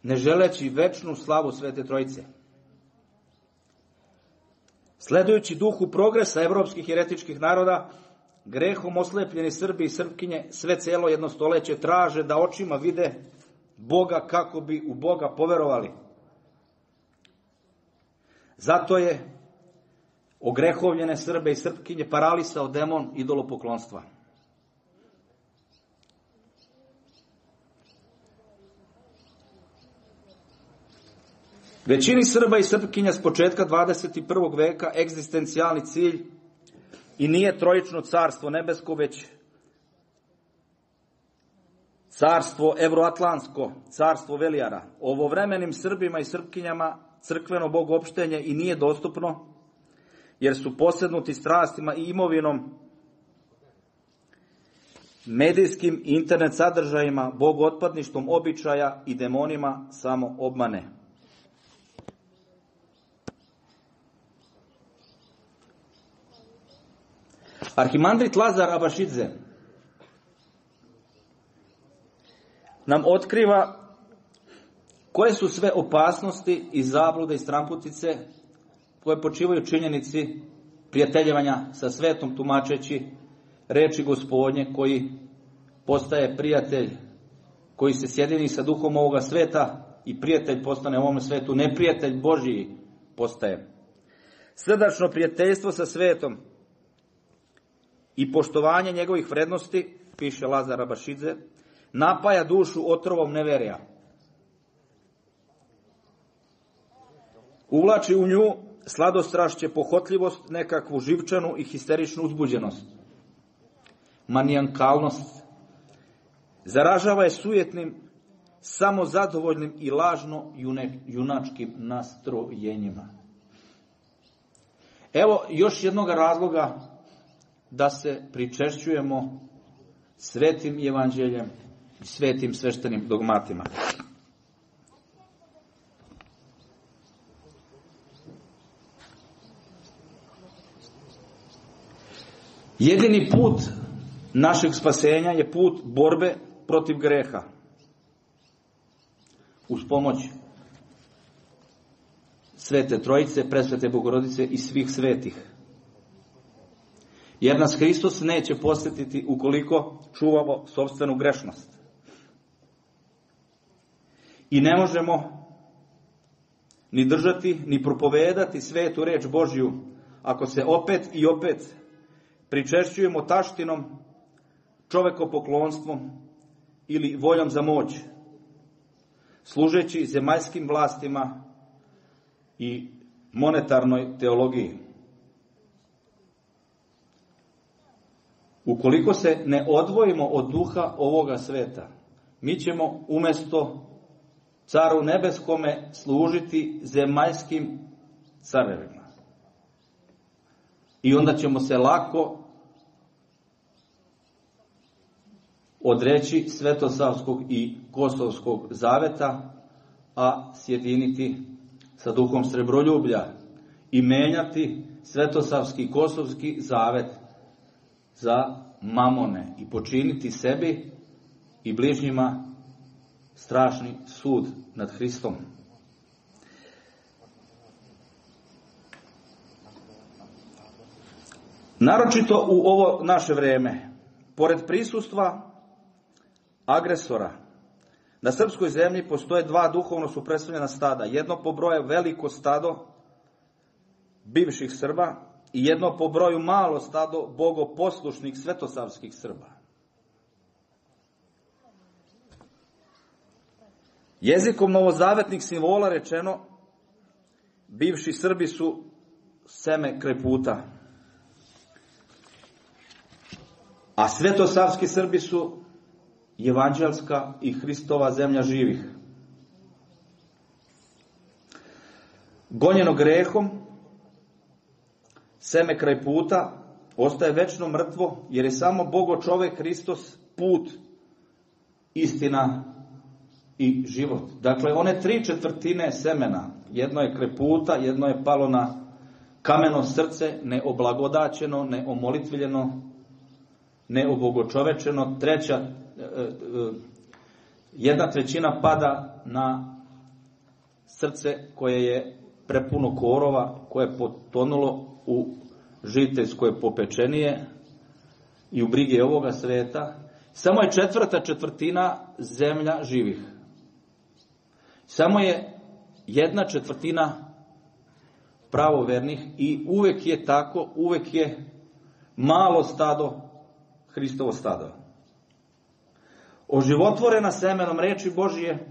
ne želeći večnu slavu Svete Trojice. Sledujući duhu progresa evropskih heretičkih naroda, grehom oslepljeni Srbi i Srpkinje sve celo jedno stoleće traže da očima vide Boga kako bi u Boga poverovali. Zato je ogrehovljene Srbe i Srpkinje paralisao demon idolopoklonstva. Većini Srba i Srpkinja s početka dvadeset prvog veka egzistencijalni cilj i nije trojično carstvo nebesko, već carstvo evroatlantsko, carstvo velijara. Ovovremenim Srbima i Srpkinjama crkveno bogopštenje i nije dostupno, jer su posednuti strastima i imovinom, medijskim i internet sadržajima, bogootpadništvom običaja i demonima samo obmane. Arhimandrit Lazar Abašidze nam otkriva koje su sve opasnosti i zablude i stramputice koje počivaju činjenici prijateljevanja sa svetom, tumačeći reči Gospodnje, koji postaje prijatelj, koji se sjedini sa duhom ovoga sveta i prijatelj postane u ovom svetu, neprijatelj Božiji postaje. Srdačno prijateljstvo sa svetom i poštovanje njegovih vrednosti, piše Lazar Abašidze, napaja dušu otrovom neverija. Uvlači u nju sladostrašće, pohotljivost, nekakvu živčanu i histeričnu uzbuđenost, manijakalnost. Zaražava je sujetnim, samozadovoljnim i lažno junačkim nastrojenjima. Evo još jednog razloga da se pričešćujemo svetim evanđeljem i svetim sveštenim dogmatima. Jedini put našeg spasenja je put borbe protiv greha. Uz pomoć Svete Trojice, Presvete Bogorodice i svih svetih. Jer nas Hristos neće posjetiti ukoliko čuvamo sopstvenu grešnost. I ne možemo ni držati, ni propovedati svetu reč Božju ako se opet i opet pričešćujemo taštinom, čovekopoklonstvom ili voljom za moć, služeći zemaljskim vlastima i monetarnoj teologiji. Ukoliko se ne odvojimo od duha ovoga sveta, mi ćemo umjesto caru nebeskome služiti zemaljskim carevima. I onda ćemo se lako odreći Svetosavskog i Kosovskog zaveta, a sjediniti sa duhom srebroljublja i menjati Svetosavski i Kosovski zavet za mamone i počiniti sebi i bližnjima strašni sud nad Hristom. Naročito u ovo naše vreme, pored prisustva agresora, na srpskoj zemlji postoje dva duhovno suprotstavljena stada. Jedno po broju veliko stado bivših Srba i jedno po broju malo stado bogoposlušnih svetosavskih Srba. Jezikom novozavetnih simbola rečeno, bivši Srbi su seme kraj puta, a svetosavski Srbi su evanđelska i Hristova zemlja živih. Gonjeno grehom, seme kraj puta ostaje večno mrtvo, jer je samo Bogo čovek Hristos put, istina i život. Dakle, one tri četvrtine semena, jedno je kraj puta, jedno je palo na kameno srce, neoblagodaćeno, neomolitviljeno, neobogočovečeno, treća, jedna trećina pada na srce koje je prepuno korova, koje je potonulo u žiteljsko popečenije i u brige ovoga sveta. Samo je četvrta četvrtina zemlja živih. Samo je jedna četvrtina pravovernih i uvek je tako, uvek je malo stado Hristovo stado. Oživotvorena semenom reči Božije,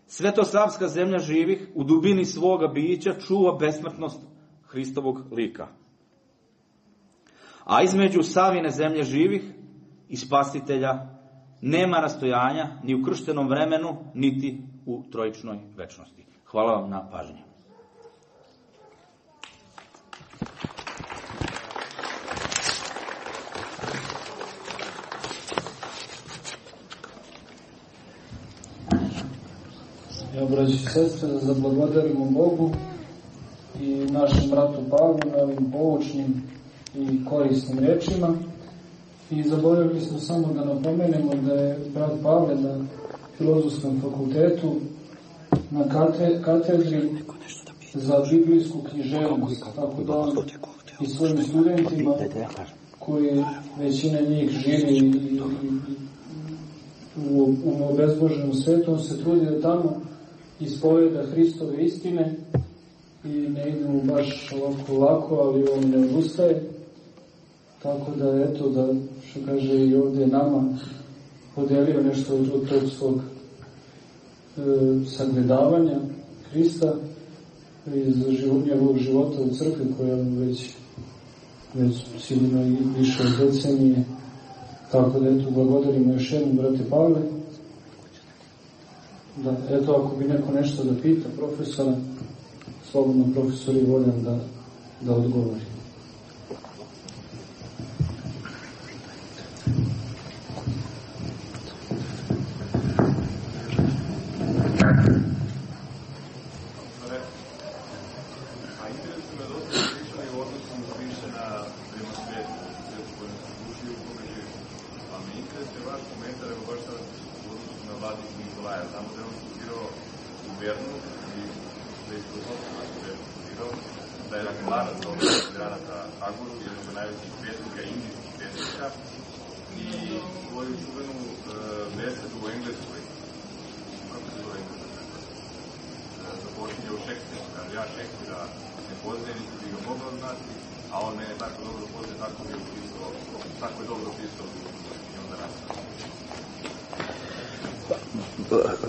svetosavska zemlja živih u dubini svoga bića čuva besmrtnost Hristovog lika. A između Savine zemlje živih i Spasitelja nema rastojanja ni u krštenom vremenu, niti u trojičnoj večnosti. Hvala vam na pažnji. Ja, braći i sestre, da zablagodarimo Bogu i našem bratu Pavlu na ovim poučnim i korisnim rečima. I zaboravili smo samo da napomenemo da je brat Pavle na Filozofskom fakultetu na katedri za biblijsku književnost, tako da on i svojim studentima, koji većina njih živi i, i, u, u obezboženom svetu, on se trudi da tamo ispoveda Hristove istine i ne ide mu baš ovako lako, ali on ne odustaje. Tako da, eto, da, što kaže i ovdje nama, podelio nešto od, od tog svog e, sagledavanja Hrista iz život, njegovog života u crkvi, koja već, već sigurno i više od decenije. Tako da, eto, blagodarimo još jednom, brate Pavle. Da, eto, ako bi neko nešto da pita profesora, slobodno profesor je voljan da, da odgovori.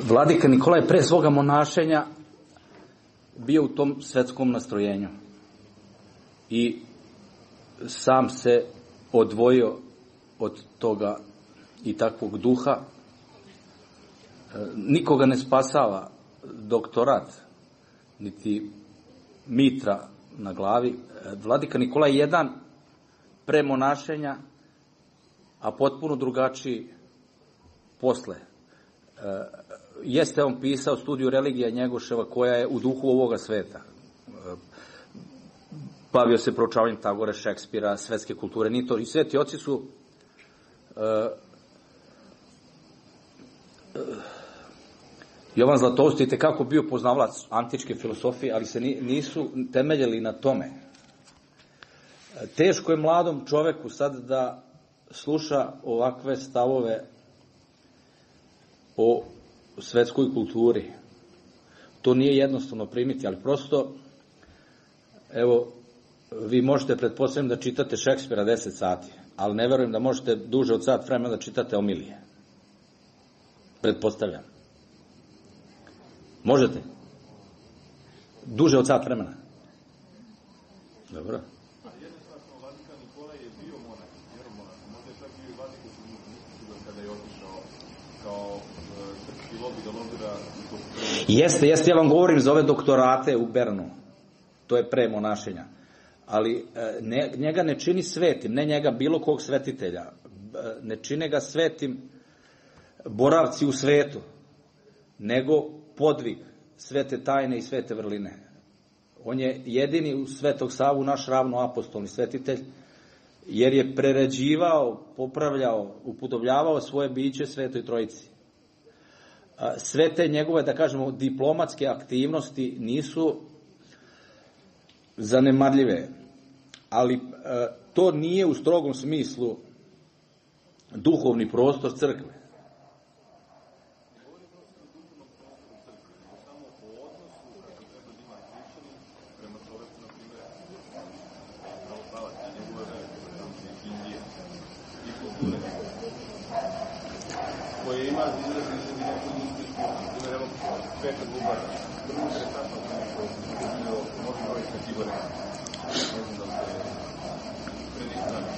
Vladika Nikola je pre svoga monašenja bio u tom svetskom nastrojenju i sam se odvojio od toga i takvog duha. Nikoga ne spasava doktorat, niti mitra na glavi. Vladika Nikola je jedan pre monašenja, a potpuno drugačiji posle. Jeste on pisao studiju religija Njegoševa, koja je u duhu ovoga sveta. Bavio se proučavanjem Tagore, Šekspira, svetske kulture, ni to. I sveti oci su uh, uh, Jovan Zlatoust je kako bio poznavalac antičke filosofije, ali se nisu temeljili na tome. Teško je mladom čoveku sad da sluša ovakve stavove o svetskoj kulturi. To nije jednostavno primiti, ali prosto, evo, vi možete, pretpostavljam, da čitate Šekspira deset sati, ali ne verujem da možete duže od sat vremena da čitate Omilije. Pretpostavljam. Možete? Duže od sat vremena? Dobro. Jednostavno, Vladika Nikola je bio monak, vjeromonak, možda je čak bio i Vladika Nikola kada je otišao kao srpski lobi da lobira. Jeste, jeste, ja vam govorim za ove doktorate u Bernu. To je pre monašenja. Ali ne, njega ne čini svetim, ne njega bilo kog svetitelja. Ne čine ga svetim boravci u svetu, nego podvig svete tajne i svete vrline. On je jedini u Svetog Savu naš ravnoapostolni svetitelj, jer je prerađivao, popravljao, upodobljavao svoje biće Svetoj Trojici. Sve te njegove, da kažemo, diplomatske aktivnosti nisu zanemarljive, ali to nije u strogom smislu duhovni prostor crkve. koje ima izraz izrazi neku industrijsku, ili evo, Petar Bubara. Vrlo interesantno sam neko izgledao, možda broj sa Kibore. Ne znam da ste predistrani.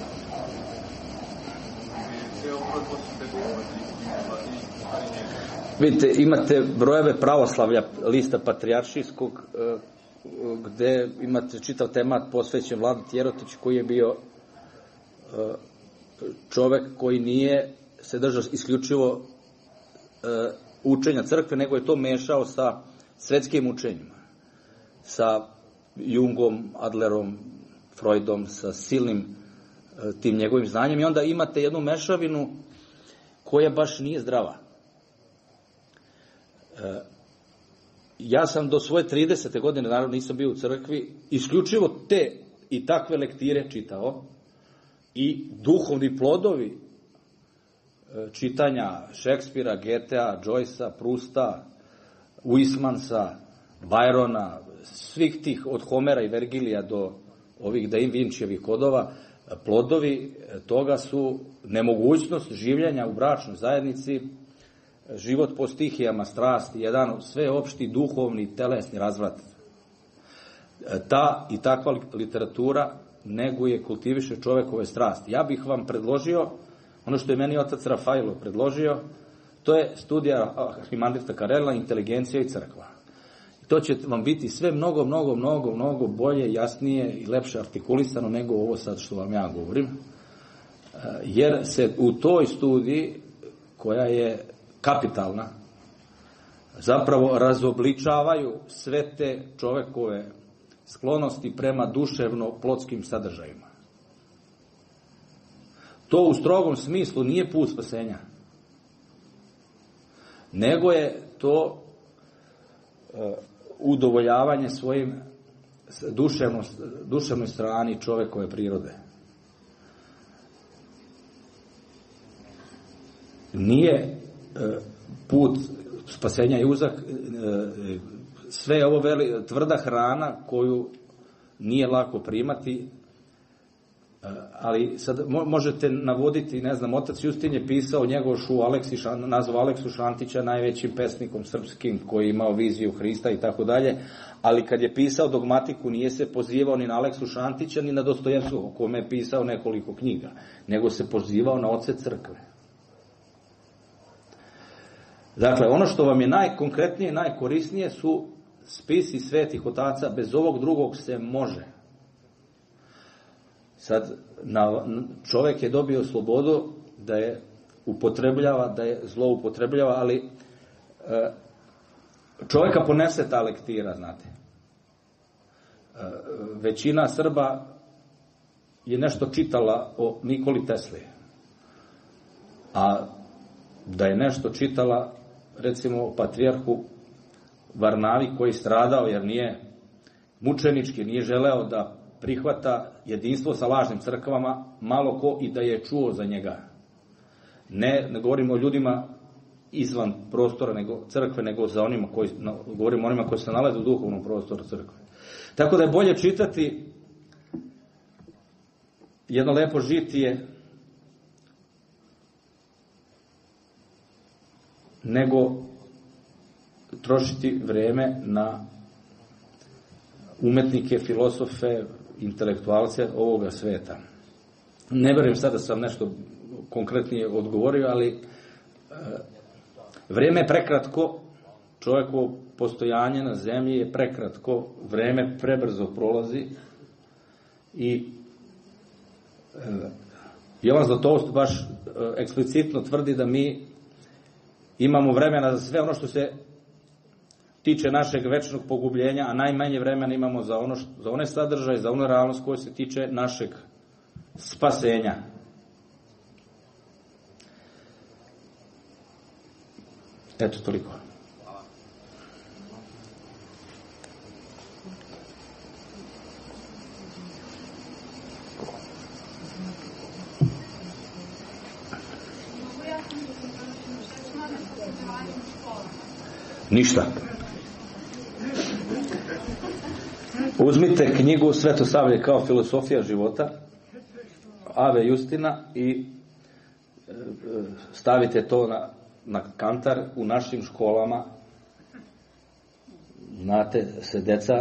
Sve ovo broj posle Petar Bubara i njega. Vidite, imate brojeve pravoslavlja, lista patrijaršijskog, gde imate čitav temat posvećen Vladeti Jerotić, koji je bio čovek koji nije se držao isključivo učenja crkve, nego je to mešao sa svetskim učenjima, sa Jungom, Adlerom, Freudom, sa silnim tim njegovim znanjem, i onda imate jednu mešavinu koja baš nije zdrava. Ja sam do svoje tridesete godine, naravno nisam bio u crkvi, isključivo te i takve lektire čitao, i duhovni plodovi čitanja Šekspira, Goethea, Joycea, Prusta, Huysmansa, Byrona, svih tih od Homera i Vergilija do ovih Da Vinčijevih kodova, plodovi toga su nemogućnost življenja u bračnoj zajednici, život po stihijama, strasti, jedan sveopšti duhovni telesni razvrat. Ta i takva literatura neguje, kultiviše čovekove strasti. Ja bih vam predložio, ono što je meni otac Rafailo predložio, to je studija Arhimandrita Karela, Inteligencija i crkva. To će vam biti sve mnogo, mnogo, mnogo, mnogo bolje, jasnije i lepše artikulisano nego ovo sad što vam ja govorim. Jer se u toj studiji, koja je kapitalna, zapravo razobličavaju sve te čovekove sklonosti prema duševno-plotskim sadržajima. To u strogom smislu nije put spasenja, nego je to udovoljavanje svojim duševnoj strani čovekove prirode. Nije put spasenja i uzak sve ovo veli, tvrda hrana koju nije lako primati, ali sad možete navoditi, ne znam, otac Justin je pisao Njegošu Aleksi, nazvao Aleksu Šantića najvećim pesnikom srpskim koji je imao viziju Hrista i tako dalje, ali kad je pisao dogmatiku nije se pozivao ni na Aleksu Šantića ni na Dostojevskog, o kome je pisao nekoliko knjiga, nego se pozivao na oce crkve. Dakle, ono što vam je najkonkretnije, najkorisnije su spisi svetih otaca, bez ovog drugog se može. Sad, čovek je dobio slobodu da je upotrebljava, da je zloupotrebljava, ali čoveka ponese ta lektira, znate. Većina Srba je nešto čitala o Nikoli Tesli, a da je nešto čitala, recimo, o patrijarhu Varnavi, koji stradao jer nije mučenički, nije želeo da prihvata jedinstvo sa lažnim crkvama, malo ko i da je čuo za njega. Ne, ne govorimo o ljudima izvan prostora nego crkve, nego za onima koji, govorimo o onima koji se nalaze u duhovnom prostoru crkve. Tako da je bolje čitati jedno lepo žitije nego trošiti vreme na umetnike, filosofe, intelektualce ovoga sveta. Ne verujem sad da sam nešto konkretnije odgovorio, ali e, vreme je prekratko, čovjekovo postojanje na zemlji je prekratko, vreme prebrzo prolazi i e, Jovan Zlatoust baš e, eksplicitno tvrdi da mi imamo vremena za sve ono što se tiče našeg večnog pogubljenja, a najmanje vremena imamo za, ono što, za one sadržaje, za onu realnost koja se tiče našeg spasenja. Eto, toliko. Ništa. Uzmite knjigu Svetosavlje kao filosofija života Ave Justina i stavite to na, na kantar u našim školama, znate, se deca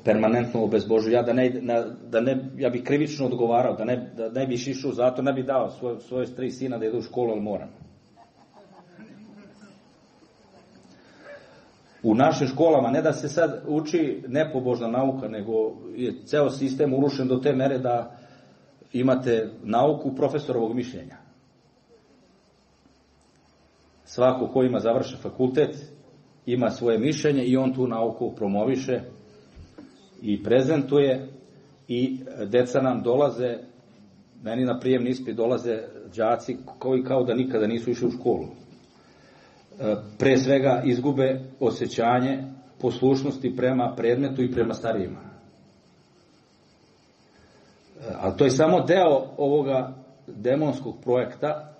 permanentno obezbožuju. Ja da ne, da ne, ja bih krivično odgovarao, da ne, da ne bih išao zato, ne bih dao svoj, svoje tri sina da idu u školu, ali moram. U našim školama ne da se sad uči nepobožna nauka, nego je ceo sistem urušen do te mere da imate nauku profesorovog mišljenja. Svako ko ima završen fakultet ima svoje mišljenje i on tu nauku promoviše i prezentuje i deca nam dolaze, meni na prijemni ispit dolaze đaci koji kao da nikada nisu išli u školu. Pre svega izgube osjećanje poslušnosti prema predmetu i prema starijima. Ali to je samo deo ovoga demonskog projekta.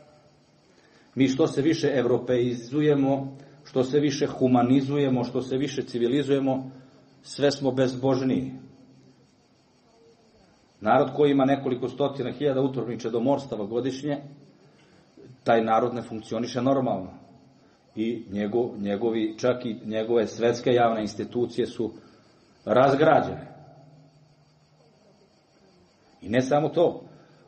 Mi što se više evropeizujemo, što se više humanizujemo, što se više civilizujemo, sve smo bezbožniji. Narod koji ima nekoliko stotina hiljada utrobnih čedomorstava godišnje, taj narod ne funkcioniše normalno. I njegov, njegovi, čak i njegove svetske javne institucije su razgrađene. I ne samo to.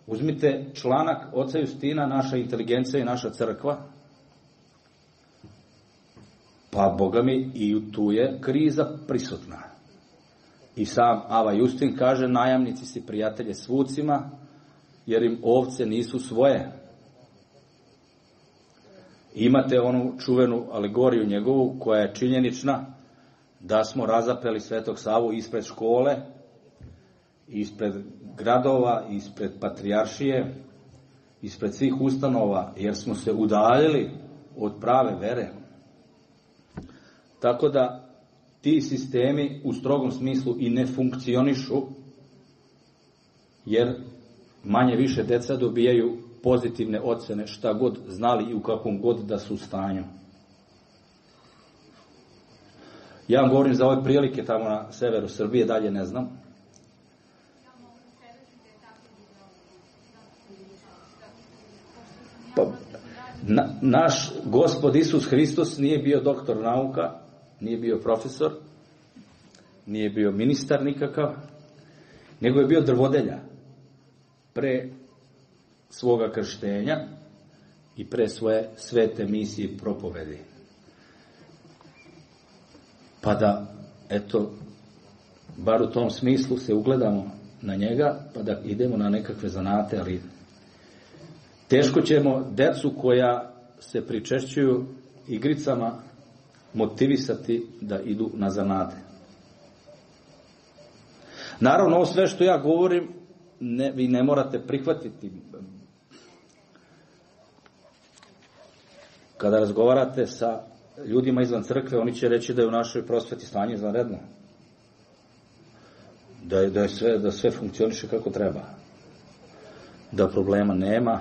Uzmite članak oca Justina, naša inteligencija i naša crkva, pa Boga mi i tu je kriza prisutna. I sam Ava Justin kaže, najamnici si prijatelje s vucima, jer im ovce nisu svoje. Imate onu čuvenu alegoriju njegovu, koja je činjenična, da smo razapeli Svetog Savu ispred škole, ispred gradova, ispred patrijaršije, ispred svih ustanova, jer smo se udaljili od prave vere. Tako da ti sistemi u strogom smislu i ne funkcionišu, jer manje više deca dobijaju pozitivne ocene šta god znali i u kakvom god da su stanju. Ja vam govorim za ove prilike tamo na severu Srbije, dalje ne znam. Pa, na, naš Gospod Isus Hristos nije bio doktor nauka, nije bio profesor, nije bio ministar nikakav, nego je bio drvodelja. Pre svoga krštenja i pre svoje svete misije i propovedi. Pa da, eto, bar u tom smislu se ugledamo na njega, pa da idemo na nekakve zanate, ali teško ćemo decu koja se pričešćuju igricama motivisati da idu na zanate. Naravno, ovo sve što ja govorim, ne, vi ne morate prihvatiti. Kada razgovarate sa ljudima izvan crkve, oni će reći da je u našoj prosveti stanje izvanredno. Da je, da je sve, da sve funkcioniše kako treba. Da problema nema,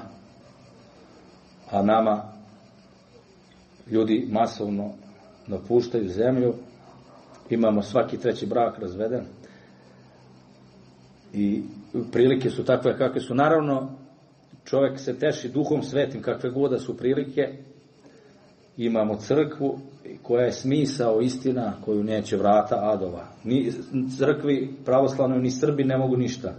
a nama ljudi masovno napuštaju zemlju, imamo svaki treći brak razveden i prilike su takve kakve su. Naravno, čovjek se teši duhom svetim kakve god da su prilike. Imamo crkvu koja je smisao, istina, koju neće vrata adova. Ni crkvi pravoslavnoj, ni Srbi ne mogu ništa.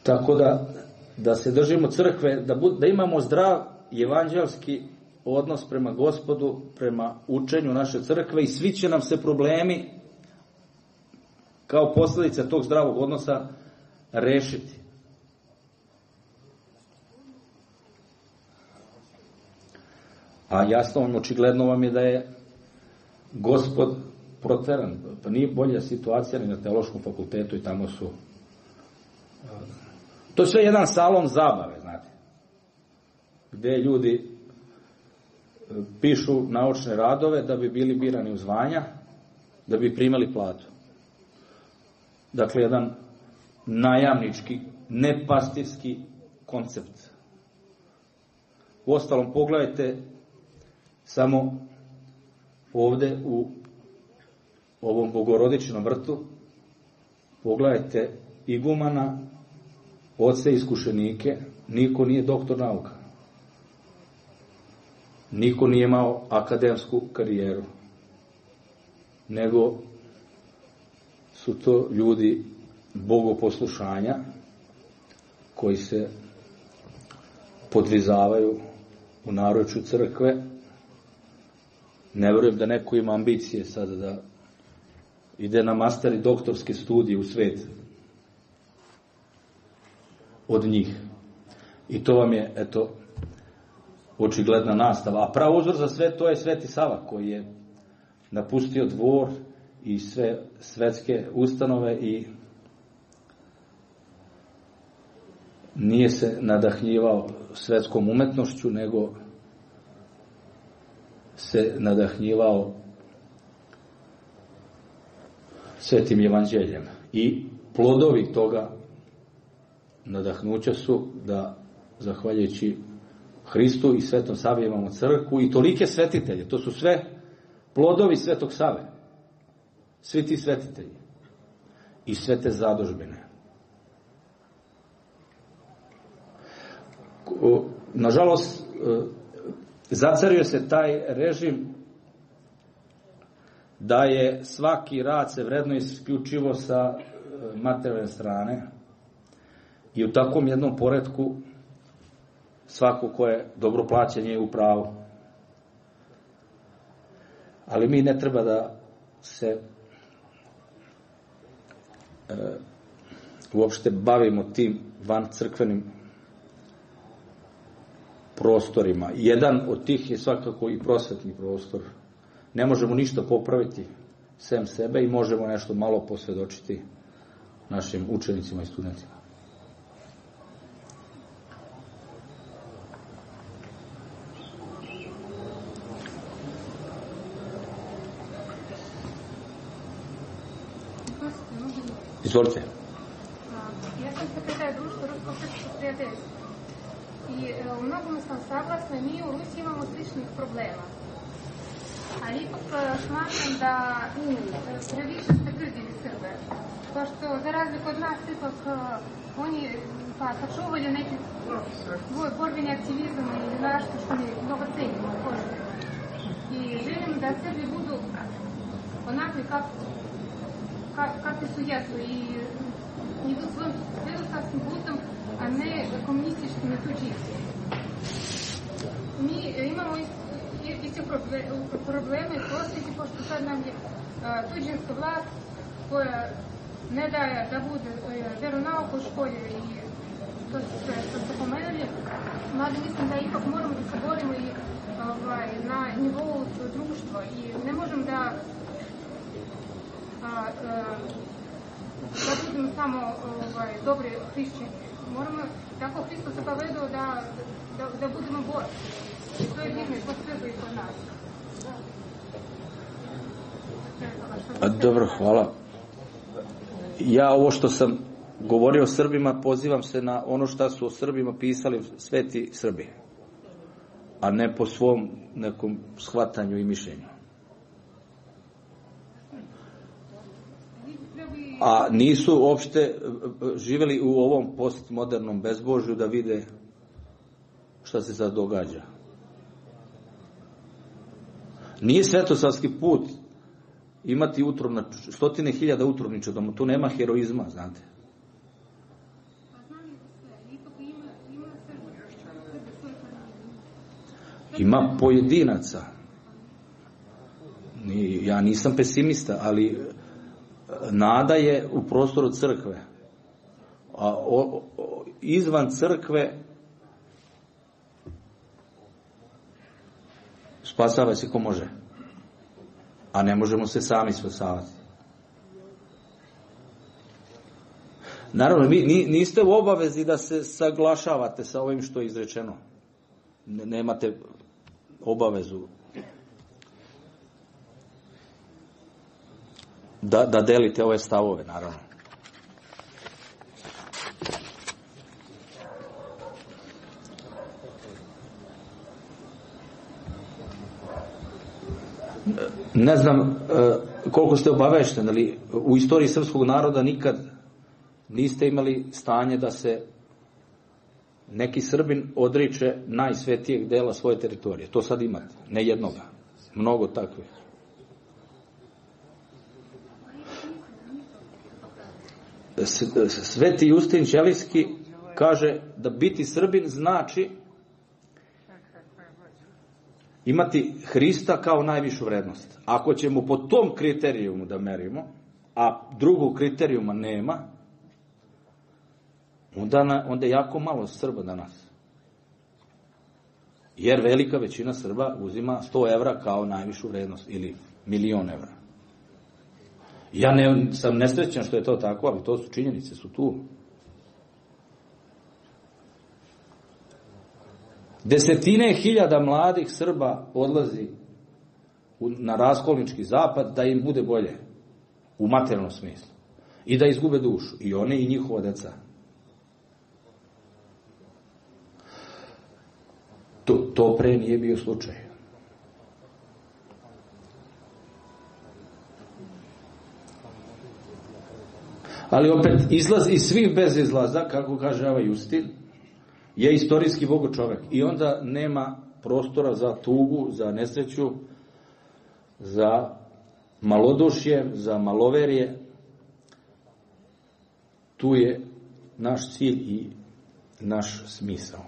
Tako da, da se držimo crkve, da, bud, da imamo zdrav evanđelski odnos prema Gospodu, prema učenju naše crkve i svi će nam se problemi kao posljedica tog zdravog odnosa rešiti. A jasno vam, očigledno vam je da je Gospod proteran. Pa nije bolja situacija ni na teološkom fakultetu i tamo su... To je sve jedan salon zabave, znate. Gde ljudi pišu naučne radove da bi bili birani u zvanja, da bi primali platu. Dakle, jedan najamnički, nepastirski koncept. Uostalom, pogledajte samo ovde u ovom Bogorodičinom vrtu, pogledajte igumana, oce iskušenike, niko nije doktor nauka. Niko nije imao akademsku karijeru. Nego su to ljudi bogoposlušanja koji se podvizavaju u naručju crkve. Ne verujem da neko ima ambicije sada da ide na master i doktorske studije u svet od njih. I to vam je, eto, očigledna nastava. A prav uzor za sve to je Sveti Sava, koji je napustio dvor i sve svetske ustanove i nije se nadahnjivao svetskom umetnošću, nego se nadahnjivao Svetim evanđeljem. I plodovi toga nadahnuća su da, zahvaljujući Hristu i Svetom Savi, imamo crkvu i tolike svetitelje. To su sve plodovi Svetog Save. Svi ti svetitelji. I sve te zadužbine. Nažalost, zacario se taj režim da je svaki rad se vredno isključivo sa materijalne strane i u takvom jednom poretku svako ko je dobro plaćen je u pravu. Ali mi ne treba da se e, uopšte bavimo tim van crkvenim prostorima. Jedan od tih je svakako i prosvetni prostor. Ne možemo ništa popraviti sem sebe i možemo nešto malo posvedočiti našim učenicima i studentima. Izvolite. Ja sam sekretar društva Ruskog srpskog prijateljstva. I u mnogome sam saglasna, mi u Rusiji imamo sličnih problema. Ali ipak smatram da previše ste grdili Srbe. Pošto za razliku od nas ipak oni pa sačuvaju neki svoj borbeni aktivizam ili nešto što mi mnogo cenimo. I želim da Srbi budu onakvi kako kakvi su jesu i idu svojim svetosavskim putom, a ne komunističkim i tuđinskim. Mi imamo iste probleme i posljedice, pošto sad nam je tuđinska vlast koja ne daje da bude veronauka u školi i to su sve što ste pomenuli. Mada mislim da ipak moramo da se borimo i na nivou društva i ne možemo da A, a, da budemo samo ovaj, dobri hrišćani. Moramo tako Hristo se povedao da, da, da budemo borci. I to je vidno i po svetu i kod nas. A, dobro, hvala. Ja ovo što sam govorio o Srbima, pozivam se na ono što su o Srbima pisali sveti Srbi, a ne po svom nekom shvatanju i mišljenju. A nisu uopšte živjeli u ovom postmodernom bezbožju da vide šta se sad događa. Nije svetosavski put imati utrovna, stotine hiljada utrovniča doma, tu nema heroizma, znate. Ima pojedinaca. Ja nisam pesimista, ali nada je u prostoru crkve. A o, o, izvan crkve spasava se ko može. A ne možemo se sami spasavati. Naravno, mi, niste u obavezi da se saglašavate sa ovim što je izrečeno. Nemate obavezu da, da delite ove stavove, naravno. Ne znam koliko ste obavešteni, ali u istoriji srpskog naroda nikad niste imali stanje da se neki Srbin odriče najsvetijeg dela svoje teritorije. To sad imate. Ne jednoga. Mnogo takvih. Sveti Justin Ćelijski kaže da biti Srbin znači imati Hrista kao najvišu vrednost. Ako ćemo po tom kriterijumu da merimo, a drugog kriterijuma nema, onda, na, onda je jako malo Srba danas. Jer velika većina Srba uzima sto evra kao najvišu vrednost ili milion evra. Ja ne, sam nesrećan što je to tako, ali to su činjenice, su tu. Desetine hiljada mladih Srba odlazi na raskolnički zapad da im bude bolje u materijalnom smislu i da izgube dušu, i oni i njihova deca. To, to pre nije bio slučaj. Ali opet, izlaz iz svih bez izlaza, kako kaže ovaj Justin, je istorijski bogo čovek. I onda nema prostora za tugu, za nesreću, za malodušje, za maloverje. Tu je naš cilj i naš smisao.